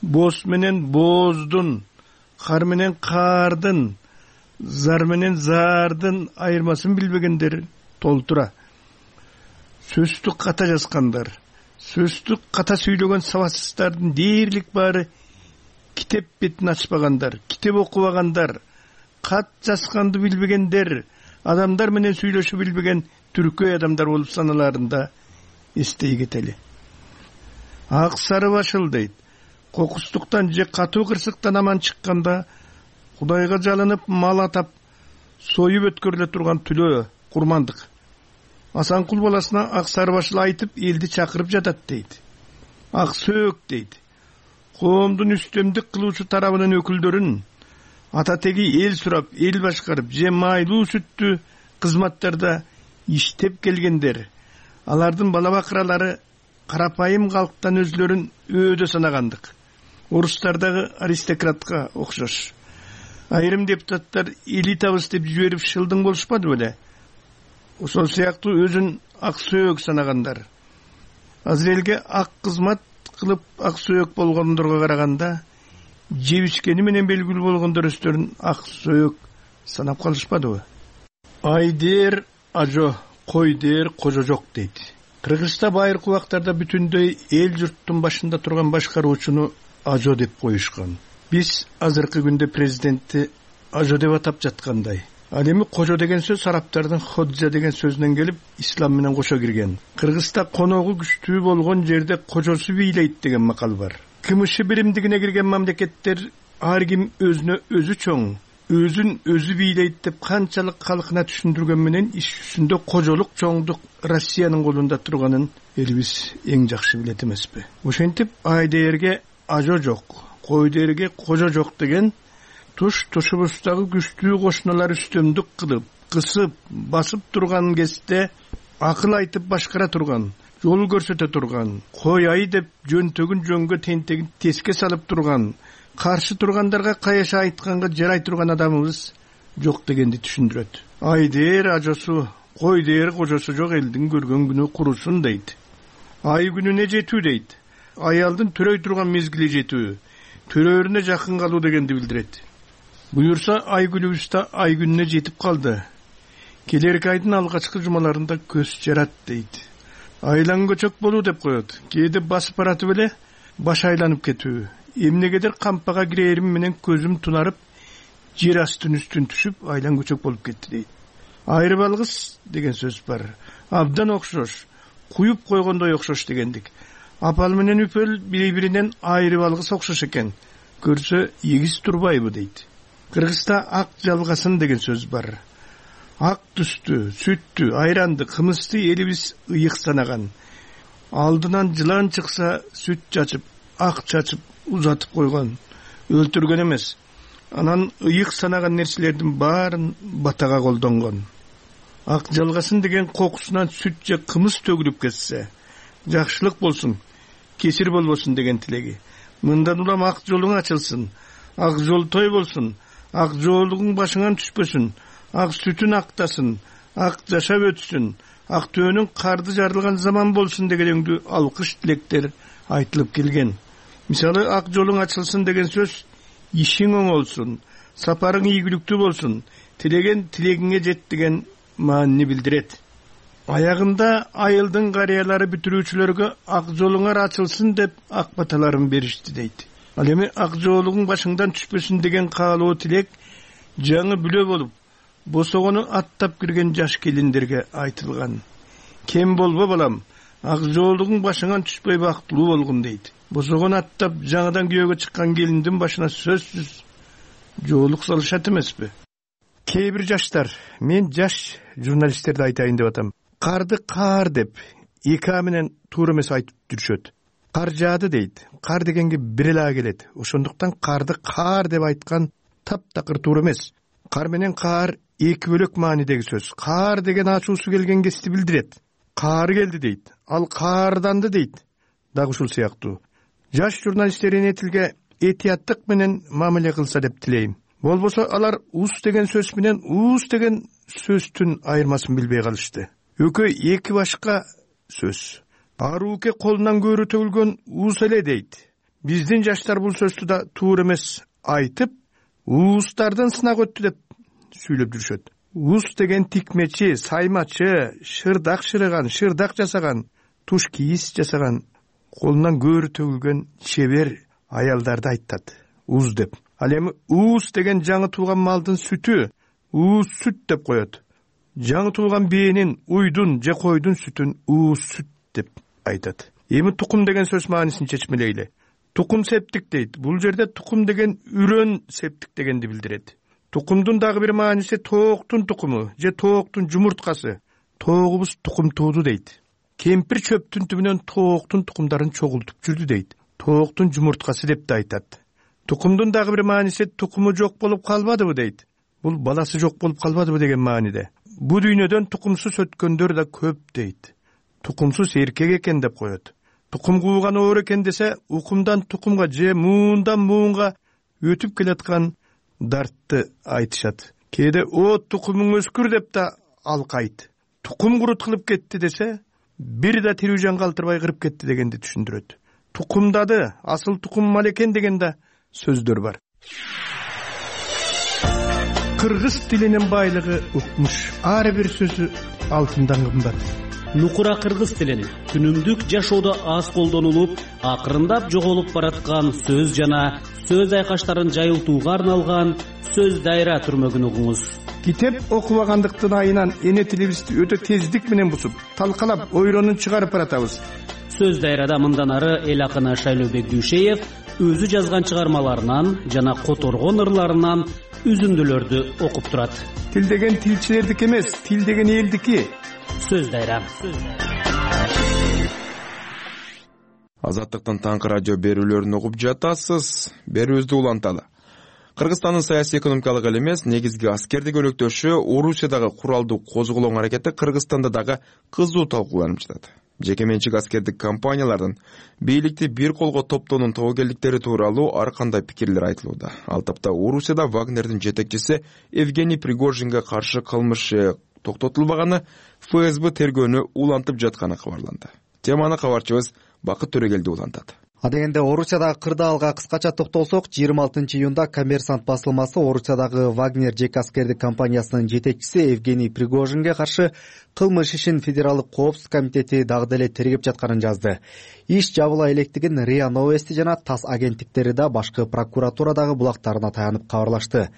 боз менен бооздун, кар менен каардын, зар менен зардын айырмасын билбегендер толтура. Сөздү ката жазгандар, сөздү ката сүйлөгөн сабатсыздардын дээрлик баары китеп бетин ачпагандар, китеп окубагандар, кат жазганды билбегендер, адамдар менен сүйлөшүп билбеген түркөй адамдар болуп саналарында эстей кетели. Ак сары башыл дейт, кокустуктан же катуу кырсыктан аман чыкканда Кудайга жалынып мал атап союп өткөрүлө турган түлөө курмандык. Асанкул баласына ак сары башыл айтып элди чакырып жатат дейт. Ак сөөк дейт, коомдун үстөмдүк кылуучу тарабынын өкүлдөрүн ата теги эл сурап, эл башкарып же майлуу сүттүү кызматтарда иштеп келгендер. Алардын бала бакыралары карапайым калктан өзлөрүн өөдө санагандык. Орустардагы аристократка окшош. Айрым депутаттар элитабыз деп жиберип шылдың болушпады беле? Ошол сыяктуу өзүн ак сөөк санагандар. Азыр элге ак кызмат кылып ак сөөк болгондорго караганда жебишкени менен белгилүү болгондор өздөрүн ак сөөк санап калышпадыбы? Ай дээр ажо, кой дээр кожо жок дейт. Кыргызста байыркы убактарда бүтүндөй эл журттун башында турган башкаруучуну ажо деп коюшкан. Биз азыркы күндө президентти ажо деп атап жаткандай. Ал эми кожо деген сөз арабтардын ходжа деген сөзүнөн келип, ислам менен кошо кирген. Кыргызда коногу күчтүү болгон жерде кожосу бийлейт деген макал бар. Кымышы биримдигине кирген мамлекеттер ар ким өзүнө өзү чоң, өзүн өзү бийлейт деп канчалык калкына түшүндүргөн менен иш жүзүндө кожолук чоңдук Россиянын колунда турганын элибиз эң жакшы билет эмеспи? Ошентип ай дээрге ажо жок, кой дээрге кожо жок деген туш тушубуздагы күчтүү кошуналар үстөмдүк кылып, кысып, басып турган кезде акыл айтып башкара турган, жол көрсөтө турган, кой ай деп жөнтөгүн жөнгө тентегин теске салып турган, каршы тургандарга каяша айтканга жарай турган адамыбыз жок дегенди түшүндүрөт. Ай дээр ажосу, кой дээр кожосу жок элдин көргөн күнү курусун дейт. Ай күнүнө жетүү дейт. Аялдын төрөй турган мезгили жетүү, төрөөрүнө жакын калуу дегенди билдирет. Буюрса ай күнүбүздө ай күнүнө жетип калды. Келерки айдын алгачкы жумаларында көз жарат дейт. Айлан көчөк болуу деп коет. Кээде басып баратып эле баш айланып кетүү. Эмнегедир кампага кирээрим менен көзүм тунарып, жер астын үстүн түшүп айлан көчөк болуп кетти дейт. Айры балгыс деген сөз бар. Абдан окшош, куюп койгондой окшош дегендик. Апал менен үпөл бири-биринен айры балгыс окшош экен. Көрсө эгиз турбайбы дейт. Кыргызда ак жалгасын деген сөз бар. Ак түстү, сүттү, айранды, кымызды элибиз ыйык санаган. Алдынан жылан чыкса сүт чачып, ак чачып узатып койгон, өлтүргөн эмес. Анан ыйык санаган нерселердин баарын батага колдонгон. Ак жалгасын деген кокусунан сүт же кымыз төгүлүп кетсе, жакшылык болсун, кесир болбосун деген тилеги. Мындан улам ак жолуң ачылсын, ак жол той болсун, ак жоолугуң башыңан түшпөсүн, ак сүтүн актасын, ак жашап өтсүн, ак төөнүң карды жарылган заман болсун дегендүү алкыш тилектер айтылып келген. Мисалы, ак жолуң ачылсын деген сөз ишиң оңолсун, сапарың ийгиликтүү болсун, тилеген тилегиңе жет деген маанини билдирет. Аягында айылдын карыялары бүтүрүүчүлөргө ак жолуңар ачылсын деп ак баталарын беришти дейт. Ал эми ак жоолугуң башыңдан түшпөсүн деген каалоо тилек жаңы бүлө болуп, босогону аттап кирген жаш келиндерге айтылган. Кем болбо балам, ак жоолугуң башыңан түшпөй бактылуу болгун дейт. Босогону аттап жаңыдан күйөөгө чыккан келиндин башына сөзсүз жоолук салышат эмеспи? Кээ бир жаштар, мен жаш журналисттерди айтайын деп атам. Карды каар деп эки а менен туура эмес айтып жүрүшөт. Кар жаады дейт. Кар дегенге бир эле а келет. Ошондуктан карды каар деп айткан таптакыр туура эмес. Кар менен каар эки бөлөк маанидеги сөз. Каар деген ачуусу келген кезде билдирет. Каар келди дейт. Ал каарданды дейт. Дагы ушул сыяктуу. Жаш журналисттер энетилге этияттык менен мамиле кылса деп тилейм. Болбосо алар ус деген сөз менен уус деген сөздүн айырмасын билбей калышты. Экөө эки башка сөз. арууке колунан көөрү төгүлгөн уус эле дейт. Биздин жаштар бул сөздү да туура эмес айтып, уустардан сынак өттү деп сүйлөп жүрүшөт. Уус деген тикмечи, саймачы, шырдак шырыган, шырдак жасаган, туш кийиз жасаган, колунан көөрү төгүлгөн чебер аялдарды айтат уус деп. Ал эми уус деген жаңы туулган малдын сүтү, уус сүт деп коет. Жаңы туулган бээнин, уйдун же койдун сүтүн уус сүт деп айтат. Эми тукум деген сөз маанисин чечмелейли. Тукум септик дейт. Бул жерде тукум деген үрөн септик дегенди билдирет. Тукумдун дагы бир мааниси тооктун тукуму же тооктун жумурткасы. Тоогубуз тукум тууду дейт. Кемпир чөптүн түбүнөн тооктун тукумдарын чогултуп жүрдү дейт. Тооктун жумурткасы деп да айтат. Тукумдун дагы бир мааниси тукуму жок болуп калбадыбы дейт. Бул баласы жок болуп калбадыбы деген мааниде. Бу дүйнөдөн тукумсуз өткөндөр да көп дейт. Тукумсуз эркек экен деп коет. Тукум кууган оор экен десе, укумдан тукумга же муундан муунга өтүп келаткан дартты айтышат. Кээде о тукумуң өскүр деп да алкайт. Тукум курут кылып кетти десе, бир да тирүү жан калтырбай кырып кетти дегенди түшүндүрөт. Тукумдады, асыл тукум мал экен деген да сөздөр бар. Кыргыз тилинин байлыгы укмуш. Ар бир сөзү алтындан кымбат. Нукура кыргыз тилин күнүмдүк жашоодо аз колдонулуп, акырындап жоголуп бараткан сөз жана сөз айкаштарын жайылтууга арналган сөз дайра түрмөгүн угуңуз. Китеп окубагандыктын айынан эне тилибизди өтө тездик менен бусуп, талкалап, ойронун чыгарып баратабыз. Сөз дайрада мындан ары эл акыны Шайлообек Дүйшеев өзү жазган чыгармаларынан жана которгон ырларынан үзүндүлөрдү окуп турат. Тил деген тилчилердики эмес, тил деген элдики. Сөз дайра. Азаттыктын таңкы радио берүүлөрүн угуп жатасыз. Берүүбүздү уланталы. Кыргызстандын саясий экономикалык эле эмес, негизги аскердик өнөктөшү Орусиядагы куралдуу козголоң аракети Кыргызстанда дагы кызуу талкууланып жатат. Жеке менчик аскердик компаниялардын бийликти бир колго топтоонун тобокелдиктери тууралуу ар кандай пикирлер айтылууда. Ал тапта Орусияда Вагнердин жетекчиси Евгений Пригожинге каршы кылмыш токтотулбаганы, эф эс бэ тергөөнү улантып жатканы кабарланды. Теманы кабарчыбыз Бакыт Төрөгелди улантат. Адегенде Орусиядагы кырдаалга кыскача токтолсок, жыйырма алтынчы июнда Коммерсант басылмасы Орусиядагы Вагнер жеке аскердик компаниясынын жетекчиси Евгений Пригожинге каршы кылмыш ишин Федералдык коопсуздук комитети дагы деле тергеп жатканын жазды. Иш жабыла электигин РИА Новости жана ТАСС агенттиктери да башкы прокуратурадагы булактарына таянып кабарлашты.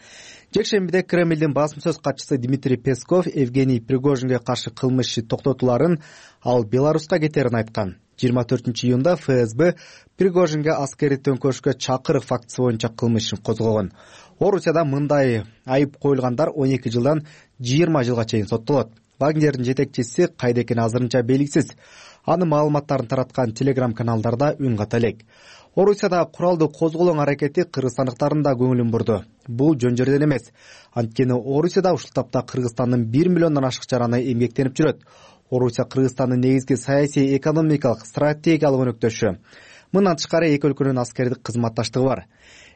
Жекшембиде Кремлдин басым сөз катчысы Дмитрий Песков Евгений Пригожинге каршы кылмыш иши токтотуларын, ал Беларуска кетерин айткан. жыйырма төртүнчү июнда эф эс бэ Пригожинге аскердик төңкөрүшкө чакырык фактысы боюнча кылмыш ишин козгогон. Орусияда мындай айып коюлгандар он эки жылдан жыйырма жылга чейин соттолот. Вагнердин жетекчиси кайда экени азырынча белгисиз. Анын маалыматтарын тараткан телеграм каналдарда үн ката элек. Орусияда куралдуу козголоң аракети кыргызстандыктардын да көңүлүн бурду. Бул жөн жерден эмес. Анткени Орусияда ушул тапта Кыргызстандын бир миллиондон ашык жараны эмгектенип жүрөт. Орусия Кыргызстандын негизги саясий, экономикалык, стратегиялык өнөктөшү. Мындан тышкары эки өлкөнүн аскердик кызматташтыгы бар.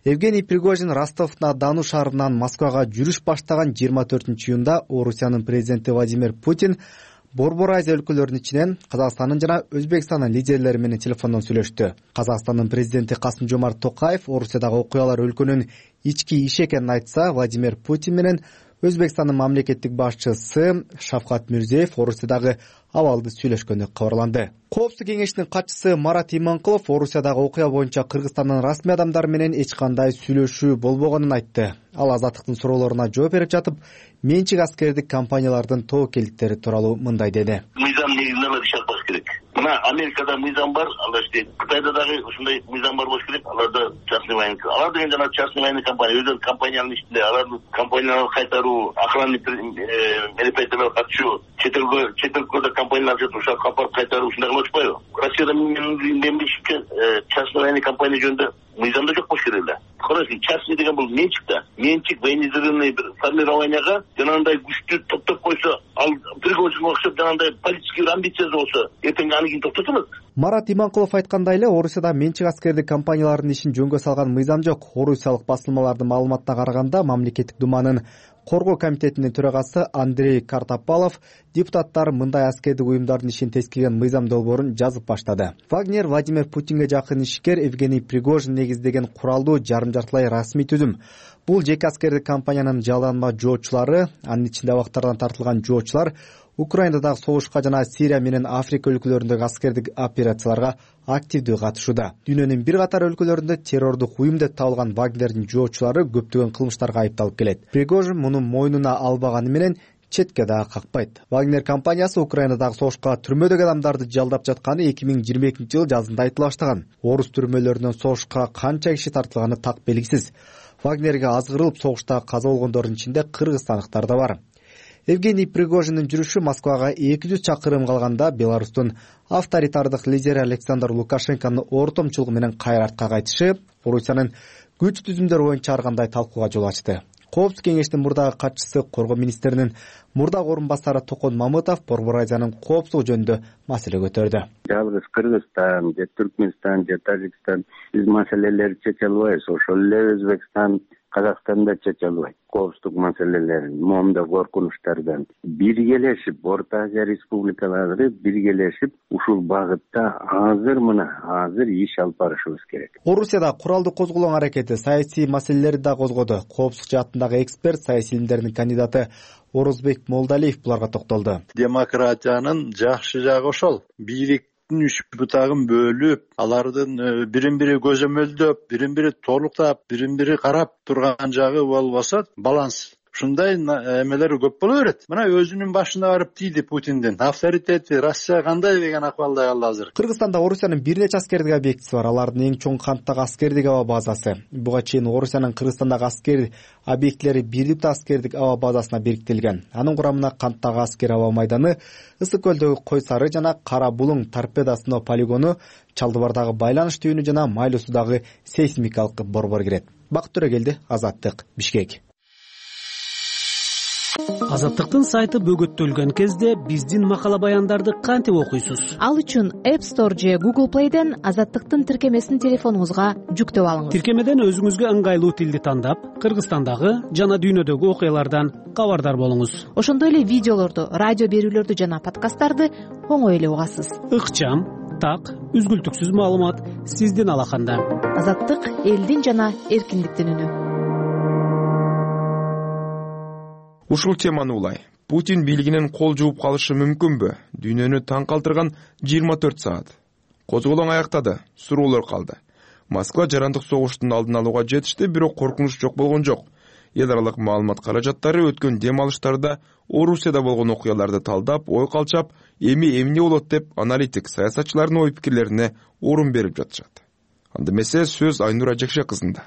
Евгений Пригожин Ростов-на-Дону шаарынан Москвага жүрүш баштаган жыйырма төртүнчү июнда Орусиянын президенти Владимир Путин Борбор Азия өлкөлөрүнүн ичинен Казакстандын жана Өзбекстандын лидерлери менен телефондон сүйлөштү. Казакстандын президенти Касым-Жомарт Токаев Орусиядагы окуялар өлкөнүн ички иши экенин айтса, Владимир Путин менен Өзбекстандын мамлекеттик башчысы Шавкат Мирзиеев Орусиядагы абалды сүйлөшкөнү кабарланды. Коопсуздук кеңешинин катчысы Марат Иманкулов Орусиядагы окуя боюнча Кыргызстандын расмий адамдары менен эч кандай сүйлөшүү болбогонун айтты. Ал Азаттыктын суроолоруна жооп берип жатып, менчик аскердик компаниялардын тобокелдиктери тууралуу мындай деди. Мыйзам негизинен эле иш алып керек. Мына Америкада мыйзам бар, алар иштейт. Кытайда дагы ушундай мыйзам бар болуш керек. Аларда частный военный, алар деген жана частный военный компания, өзүнүн компаниянын ичинде алардын компанияларды кайтаруу, охранный мероприятияларга катышуу, чет элге чет өлкөдө компаниялар жатып ушул капарып кайтаруу ушундай кылышпайбы? Россияда менин билишимче частный военный компания жөнүндө мыйзамда жок болуш керек эле. Караңызчы, частный деген бул менчик да. Менчик военизированный бир формированияга жанагындай күчтү топтоп койсо, ал Пригожинге окшоп жанагындай политический амбициясы болсо, эртең аны кийин токтотулат. Марат Иманкулов айткандай эле, Орусияда менчик аскердик компаниялардын ишин жөнгө салган мыйзам жок. Орусиялык басылмалардын маалыматына караганда, мамлекеттик думанын коргоо комитетинин төрагасы Андрей Картопалов депутаттар мындай аскердик уюмдардын ишин тескерген мыйзам долбоорун жазып баштады. Вагнер Владимир Путинге жакын ишкер Евгений Пригожин негиздеген куралдуу жарым-жартылай расмий түзүм. Бул жеке аскердик компаниянын жалданма жоочулары, анын ичинде абактардан тартылган жоочулар Украинадагы согушка жана Сирия менен Африка өлкөлөрүндөгү аскердик операцияларга активдүү катышууда. Дүйнөнүн бир катар өлкөлөрүндө террордук уюм деп табылган Вагнердин жоочулары көптөгөн кылмыштарга айыпталып келет. Пригожин муну мойнуна албаганы менен четке дагы какпайт. Вагнер компаниясы Украинадагы согушка түрмөдөгү адамдарды жалдап жатканы эки миң жыйырма экинчи жылы жазында айтыла баштаган. Орус түрмөлөрүнөн согушка канча киши тартылганы так белгисиз. Вагнерге азгырылып согушта каза болгондордун ичинде кыргызстандыктар да бар. Евгений Пригожиндин жүрүшү Москвага эки жүз чакырым калганда Беларустун авторитардык лидери Александр Лукашенконун ортомчулугу менен кайра артка кайтышы Орусиянын күч түзүмдөр боюнча ар кандай талкууга жол ачты. Коопсуздук кеңештин мурдагы катчысы, коргоо министринин мурдагы орун басары Токон Мамытов Борбор Азиянын коопсуздугу жөнүндө маселе көтөрдү. Жалгыз Кыргызстан же Түркмөнстан же Тажикстан биз маселелерди чече албайбыз. Ошол эле Өзбекстан, Казакстанда чече албайт коопсуздук маселелерин, моундай коркунучтардан. Биргелешип, Орто Азия республикалары биргелешип, ушул багытта азыр мына азыр иш алып барышыбыз керек. Орусияда куралдуу козголоң аракети саясий маселелерди да козгоду. Коопсуздук жаатындагы эксперт, саясий илимдердин кандидаты Орозбек Молдалиев буларга токтолду. Демократиянын жакшы жагы ошол. Бийлик үч бутагын бөлүп, алардын бирин бири көзөмөлдөп, бирин бири толуктап, бирин бири карап турган жагы болбосо, баланс ушундай эмелер көп боло берет. Мына өзүнүн башына барып тийди Путиндин авторитети, Россия кандай деген акыбалда калды азыр. Кыргызстанда Орусиянын бир нече аскердик объектиси бар. Алардын эң чоң канттагы аскердик аба базасы. Буга чейин Орусиянын Кыргызстандагы аскер объектилери Бирликтүү аскердик аба базасына бириктирилген. Анын курамына канттагы аскер аба майданы, Ысык көлдөгү Кой Сары жана Кара Булуң торпеда сыноо полигону, Чалдыбардагы байланыш түйүнү жана Майлуу суудагы сейсмикалык борбор кирет. Бакыт Төрөгелди, Азаттык, Бишкек. Азаттыктын сайты бөгөттөлгөн кезде биздин макала баяндарды кантип окуйсуз? Ал үчүн App Store же Google Play'ден Азаттыктын тиркемесин телефонуңузга жүктөп алыңыз. Тиркемеден өзүңүзгө ыңгайлуу тилди тандап, Кыргызстандагы жана дүйнөдөгү окуялардан кабардар болуңуз. Ошондой эле видеолорду, радио берүүлөрдү жана подкасттарды оңой эле угасыз. Ыкчам, так, үзгүлтүксүз маалымат сиздин алаканда. Азаттык элдин жана эркиндиктин үнү. Ушул теманы улай. Путин бийлигинен кол жууп калышы мүмкүнбү? Дүйнөнү таң калтырган жыйырма төрт саат. Козголоң аяктады, суроолор калды. Москва жарандык согуштун алдын алууга жетишти, бирок коркунуч жок болгон жок. Эл аралык маалымат каражаттары өткөн дем алыштарда Орусияда болгон окуяларды талдап, ой калчап, эми эмне болот деп аналитик саясатчылардын ой пикирлерине орун берип жатышат. Анда эмесе сөз Айнура Жекше кызында.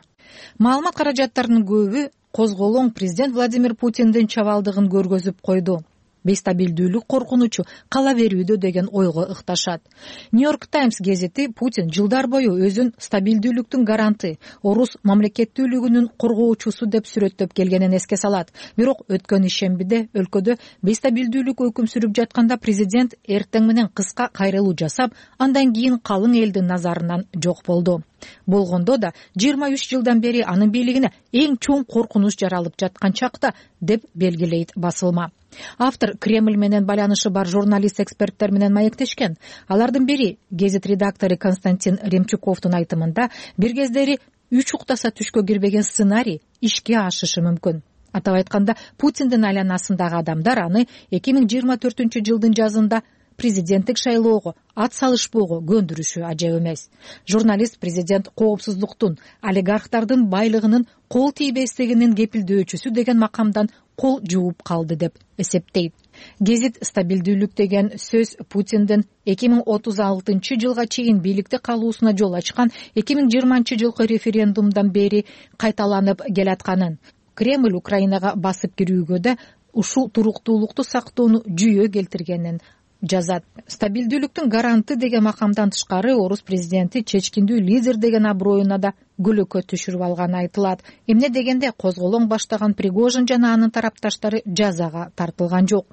Маалымат каражаттарынын көбү козголоң президент Владимир Путиндин чабалдыгын көргөзүп койду. Бестабилдүүлүк коркунучу кала берүүдө деген ойго ыкташат. Нью-Йорк Таймс гезити Путин жылдар бою өзүн стабилдүүлүктүн гаранты, орус мамлекеттүүлүгүнүн коргоочусу деп сүрөттөп келгенин эске салат. Бирок өткөн ишембиде өлкөдө бестабилдүүлүк өкүм сүрүп жатканда президент эртең менен кыска кайрылуу жасап, андан кийин калың элдин назарынан жок болду. Болгондо да жыйырма үч жылдан бери анын бийлигине эң чоң коркунуч жаралып жаткан чакта деп белгилейт басылма. Автор Кремль менен байланышы бар журналист-эксперттер менен маектешкен. Алардын бири гезит редактору Константин Ремчуковдун айтымында бир кездери үч уктаса түшкө кирбеген сценарий ишке ашышы мүмкүн. Атап айтканда, Путиндин айланасындагы адамдар аны эки миң жыйырма төртүнчү жылдын жазында президенттик шайлоого ат салышпоого көндүрүшү ажап эмес. Журналист президент коопсуздуктун, олигархтардын байлыгынын кол тийбестигинин кепилдөөчүсү деген макамдан кол жууп калды деп эсептейт. Гезит стабилдүүлүк деген сөз Путиндин эки миң отуз алтынчы жылга чейин бийликте калуусуна жол ачкан эки миң жыйырманчы жылкы референдумдан бери кайталанып келатканын, Кремль Украинага басып кирүүгө да ушул туруктуулукту сактоону жүйө келтиргенин жазат. Стабилдүүлүктүн гаранты деген макамдан тышкары орус президенти чечкиндүү лидер деген аброюна да көлөкө түшүрүп алганы айтылат. Эмне дегенде козголоң баштаган Пригожин жана анын тарапташтары жазага тартылган жок.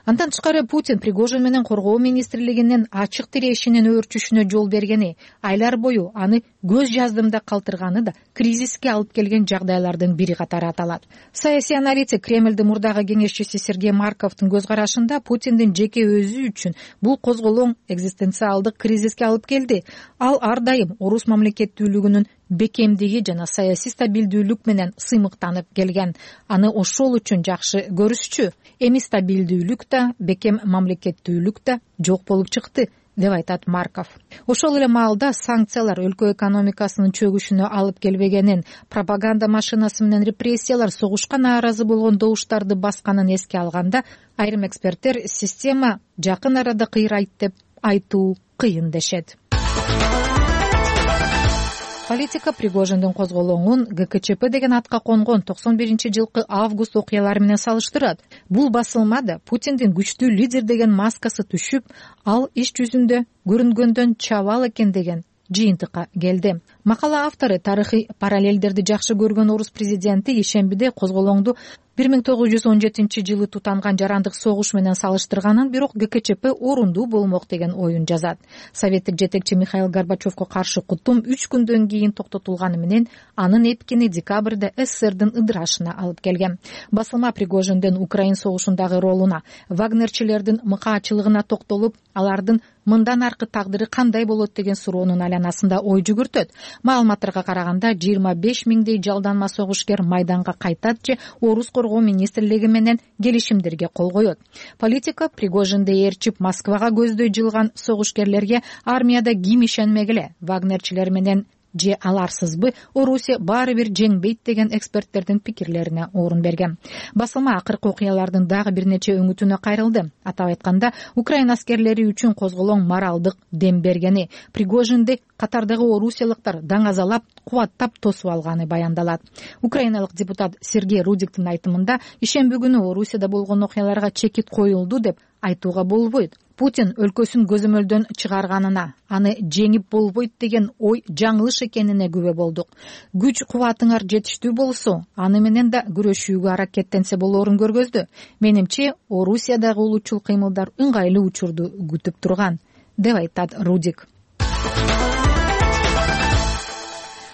Андан тышкары Путин Пригожин менен коргоо министрлигинин ачык тирешинин өөрчүшүнө жол бергени, айлар бою аны көз жаздымда калтырганы да кризиске алып келген жагдайлардын бири катары аталат. Саясий аналитик Кремлдин мурдагы кеңешчиси Сергей Марковдун көз карашында Путиндин жеке өзү үчүн бул козголоң экзистенциалдык кризиске алып келди. Ал ар дайым орус мамлекеттүүлүгүнүн бекемдиги жана саясий стабилдүүлүк менен сыймыктанып келген. Аны ошол үчүн жакшы көрүшчү. Эми стабилдүүлүк да, бекем мамлекеттүүлүк да жок болуп чыкты, деп айтат Марков. Ошол эле маалда санкциялар өлкө экономикасынын чөгүшүнө алып келбегенин, пропаганда машинасы менен репрессиялар согушка нааразы болгон добуштарды басканын эске алганда, айрым эксперттер система жакын арада кыйрайт деп айтуу кыйын дешет. Политика Пригожиндин козголоңун ГКЧП деген атка конгон токсон биринчи жылкы август окуялары менен салыштырат. Бул басылмада Путиндин күчтүү лидер деген маскасы түшүп, ал иш жүзүндө көрүнгөндөн чабал экен деген жыйынтыкка келди. Макала автору тарыхый параллелдерди жакшы көргөн орус президенти ишембиде козголоңду бир миң тогуз жүз он жетинчи жылы тутанган жарандык согуш менен салыштырганын, бирок ГКЧП орундуу болмок деген оюн жазат. Советтик жетекчи Михаил Горбачевко каршы кутум үч күндөн кийин токтотулганы менен анын эпкини декабрда СССРдин ыдырашына алып келген. Басылма Пригожиндин Украин согушундагы ролуна, вагнерчилердин мыкаачылыгына токтолуп, алардын мындан аркы тагдыры кандай болот деген суроонун айланасында ой жүгүртөт. Маалыматтарга караганда жыйырма беш миңдей жалданма согушкер майданга кайтат же орус коргоо министрлиги менен келишимдерге кол коет. Политика Пригожинди ээрчип Москвага көздөй жылган согушкерлерге армияда ким ишенмегиле, вагнерчилер менен же аларсызбы Орусия баары бир жеңбейт деген эксперттердин пикирлерине орун берген. Басылма акыркы окуялардын дагы бир нече өңүтүнө кайрылды. Атап айтканда, Украина аскерлери үчүн козголоң моралдык дем бергени, Пригожинди катардагы орусиялыктар даңазалап, кубаттап тосуп алганы баяндалат. Украиналык депутат Сергей Рудиктин айтымында, ишемби күнү Орусияда болгон окуяларга чекит коюлду деп айтууга болбойт. Путин өлкөсүн көзөмөлдөн чыгарганына, аны жеңип болбойт деген ой жаңылыш экенине күбө болдук. Күч кубатыңар жетиштүү болсо, аны менен да күрөшүүгө аракеттенсе болоорун көргөздү. Менимче, Орусиядагы улутчул кыймылдар ыңгайлуу учурду күтүп турган, деп айтат Рудик.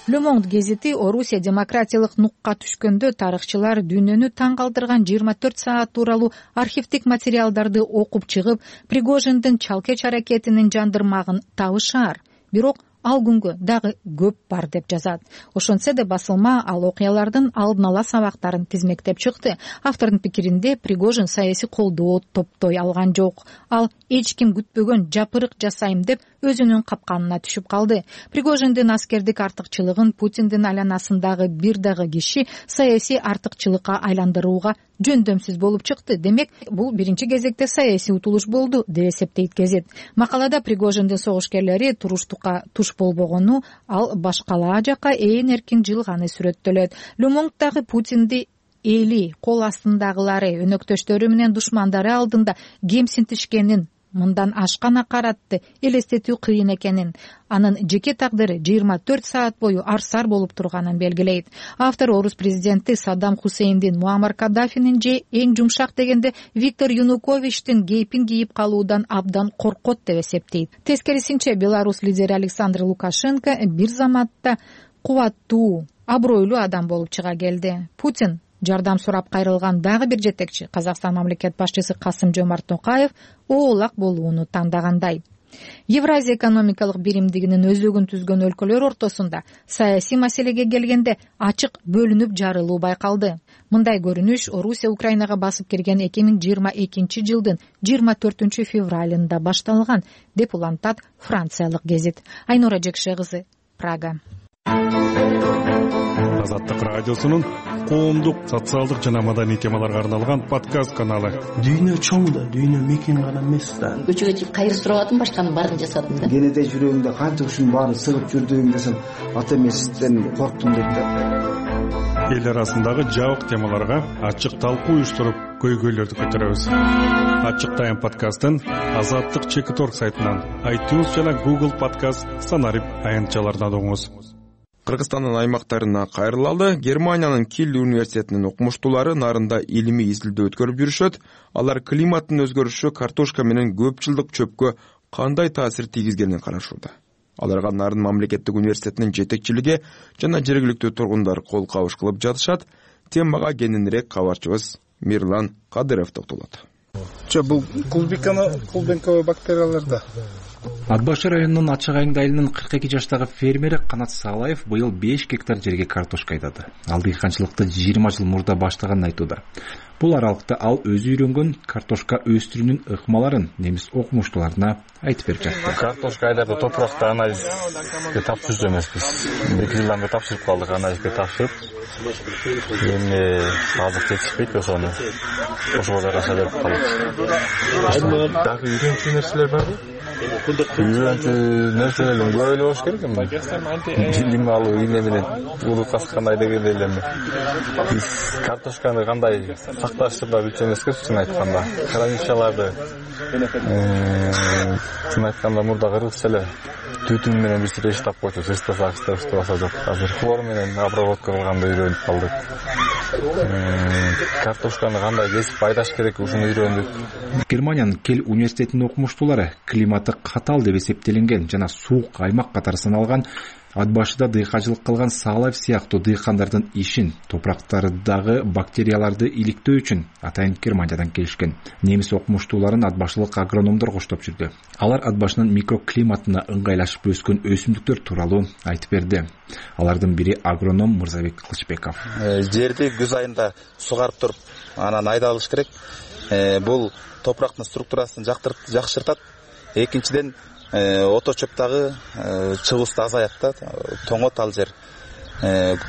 Le Monde гезити Орусия демократиялык нукка түшкөндө тарыхчылар дүйнөнү таң калтырган жыйырма төрт саат тууралуу архивдик материалдарды окуп чыгып, Пригожиндин чалкеч аракетинин жандырмагын табышаар. Бирок ал күнгө дагы көп бар деп жазат. Ошентсе да басылма ал окуялардын алдын ала сабактарын тизмектеп чыкты. Автордун пикиринде Пригожин саясий колдоо топтой алган жок. Ал эч ким күтпөгөн жапырык жасайм деп өзүнүн капканына түшүп калды. Пригожиндин аскердик артыкчылыгын Путиндин айланасындагы бир дагы киши саясий артыкчылыкка айландырууга жөндөмсүз болуп чыкты. Демек, бул биринчи кезекте саясий утулуш болду, деп эсептейт гезит. Макалада Пригожиндин согушкерлери туруштукка туш болбогону, ал башкалаа жака ээн эркин жылганы сүрөттөлөт. Le Monde'дагы Путинди эли, кол астындагылары, өнөктөштөрү менен душмандары алдында кемсинтишкенин, мындан ашкан акаратты элестетүү кыйын экенин, анын жеке тагдыры жыйырма төрт саат бою арсар болуп турганын белгилейт. Автор орус президенти Саддам Хусейндин, Муаммар Каддафинин же эң жумшак дегенде Виктор Януковичтин кейпин кийип калуудан абдан коркот деп эсептейт. Тескерисинче, Беларусь лидери Александр Лукашенко бир заматта кубаттуу, абройлуу адам болуп чыга келди. Путин жардам сурап кайрылган дагы бир жетекчи, Казакстан мамлекет башчысы Касым-Жомарт Токаев, оолак болууну тандагандай. Евразия экономикалык биримдигинин өзөгүн түзгөн өлкөлөр ортосунда саясий маселеге келгенде ачык бөлүнүп жарылуу байкалды. Мындай көрүнүш Орусия Украинага басып кирген эки миң жыйырма экинчи жылдын жыйырма төртүнчү февралында башталган, деп улантат франциялык гезит. Айнура Жекше кызы, Прага. Азаттык радиосунун коомдук, социалдык жана маданий темаларга арналган подкаст каналы. Дүйнө чоң да, дүйнө мекен гана эмес да. Көчөгө чыгып кайыр сурабадым, башканын баарын жасадым да. Кенеде жүрөгүмдө канча ушунун баары сыгып жүрдүм десем, ата эмесизден корктум деп да. Эл арасындагы жабык темаларга ачык талкуу уюштуруп, көйгөйлөрдү көтөрөбүз. Ачык тайм подкастын Азаттык чекит точка орг сайтынан, iTunes жана Google подкаст, Санарип аянтчаларынан угуңуз. Кыргызстандын аймактарына кайрылалы. Германиянын Киль университетинин окумуштуулары нарында илимий изилдөө өткөрүп жүрүшөт. Алар климаттын өзгөрүшү картошка менен көп жылдык чөпкө кандай таасир тийгизгенин карашууда. Аларга Нарын мамлекеттик университетинин жетекчилиги жана жергиликтүү тургундар кол кабыш кылып жатышат. Темага кененирээк кабарчыбыз Мирлан Кадыров токтолот. Бул клубиканы клубенковый бактерияларда. Ат башы районунун Ачык Айыңды айылынын кырк эки жаштагы фермери Канат Салаев быйыл беш гектар жерге картошка айдады. Ал дыйканчылыкты жыйырма жыл мурда баштаганын айтууда. Бул аралыкта ал өзү үйрөнгөн картошка өстүрүүнүн ыкмаларын немис окумуштууларына айтып берип жатты. Картошка айдарда топуракты анализге тапшырып эмеспиз. эки жылдан бери тапшырып калдык, анализге тапшырып. Эми азык жетишпейт, ошону ошого жараша берип калдык. Дагы үйрөнчү нерселер барбы? Үйрөнчү нерселер көп эле болуш керек эми. Жилим алуу, ийне менен урукка кандай дегенде эле биз картошканы кандай сакташырда билчү эмес керек, чын айтканда. Хранилищаларды чын айтканда мурда кыргызча эле түтүн менен бир сире иштеп койчу, ыстасак ыстабаса жок. Азыр хлор менен обработка кылганды үйрөнүп калдык. Картошканы кандай кесип айдаш керек, ушуну үйрөндүк. Германиянын Кель университетинин окумуштуулары климаты катал деп эсептелинген жана суук аймак катары саналган ат башыда дыйканчылык кылган Салаев сыяктуу дыйкандардын ишин, топурактардагы бактерияларды иликтөө үчүн атайын Германиядан келишкен. Немис окумуштууларын ат башылык агрономдор коштоп жүрдү. Алар ат башынын микроклиматына ыңгайлашып өскөн өсүмдүктөр тууралуу айтып берди. Алардын бири агроном Мырзабек Кылычбеков. Жерди күз айында сугарып туруп, анан айдалыш керек. Бул топурактын структурасын жакшыртат. Экинчиден ото чөптагы чыгуусу азаят да, тоңот ал жер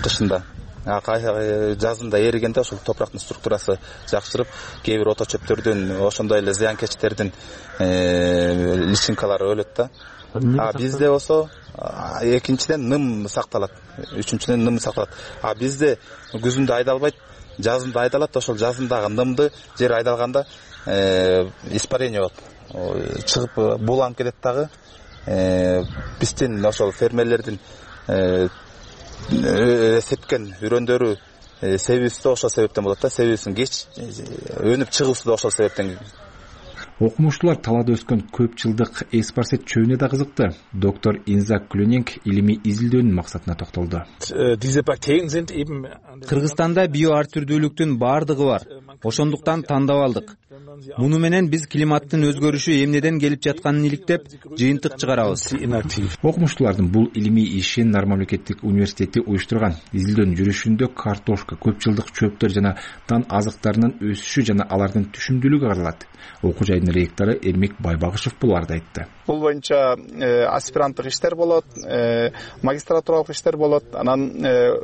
кышында. Жазында эригенде ошол топурактын структурасы жакшырып, кээ бир ото чөптөрдүн, ошондой эле зыянкечтердин личинкалары өлөт да. А бизде болсо экинчиден ным сакталат, үчүнчүдөн ным сакталат. А бизде күзүндө айдалбайт, жазында айдалат. Ошол жазындагы нымды жер айдалганда испарение болот. Чыгып буланып кетет дагы. Биздин ошол фермерлердин сепкен үрөндөрү себүүсү да ошол себептен болот да. Себүүсүн кеч өнүп чыгуусу да ошол себептен. Окумуштуулар талаада өскөн көп жылдык эспарсет чөбүнө да кызыкты. Доктор Инзак Клюнинг илимий изилдөөнүн максатына токтолду. Кыргызстанда био ар түрдүүлүктүн баардыгы бар. Ошондуктан тандап алдык. Муну менен биз климаттын өзгөрүшү эмнеден келип жатканын иликтеп, жыйынтык чыгарабыз. Окумуштуулардын бул илимий ишин Нар мамлекеттик университети уюштурган. Изилдөөнүн жүрүшүндө картошка, көп жылдык чөптөр жана дан азыктарынын өсүшү жана алардын түшүмдүүлүгү каралат. Окуу жайдын ректору Эрмек Байбагышев буларды айтты. Бул боюнча аспиранттык иштер болот, магистратуралык иштер болот. Анан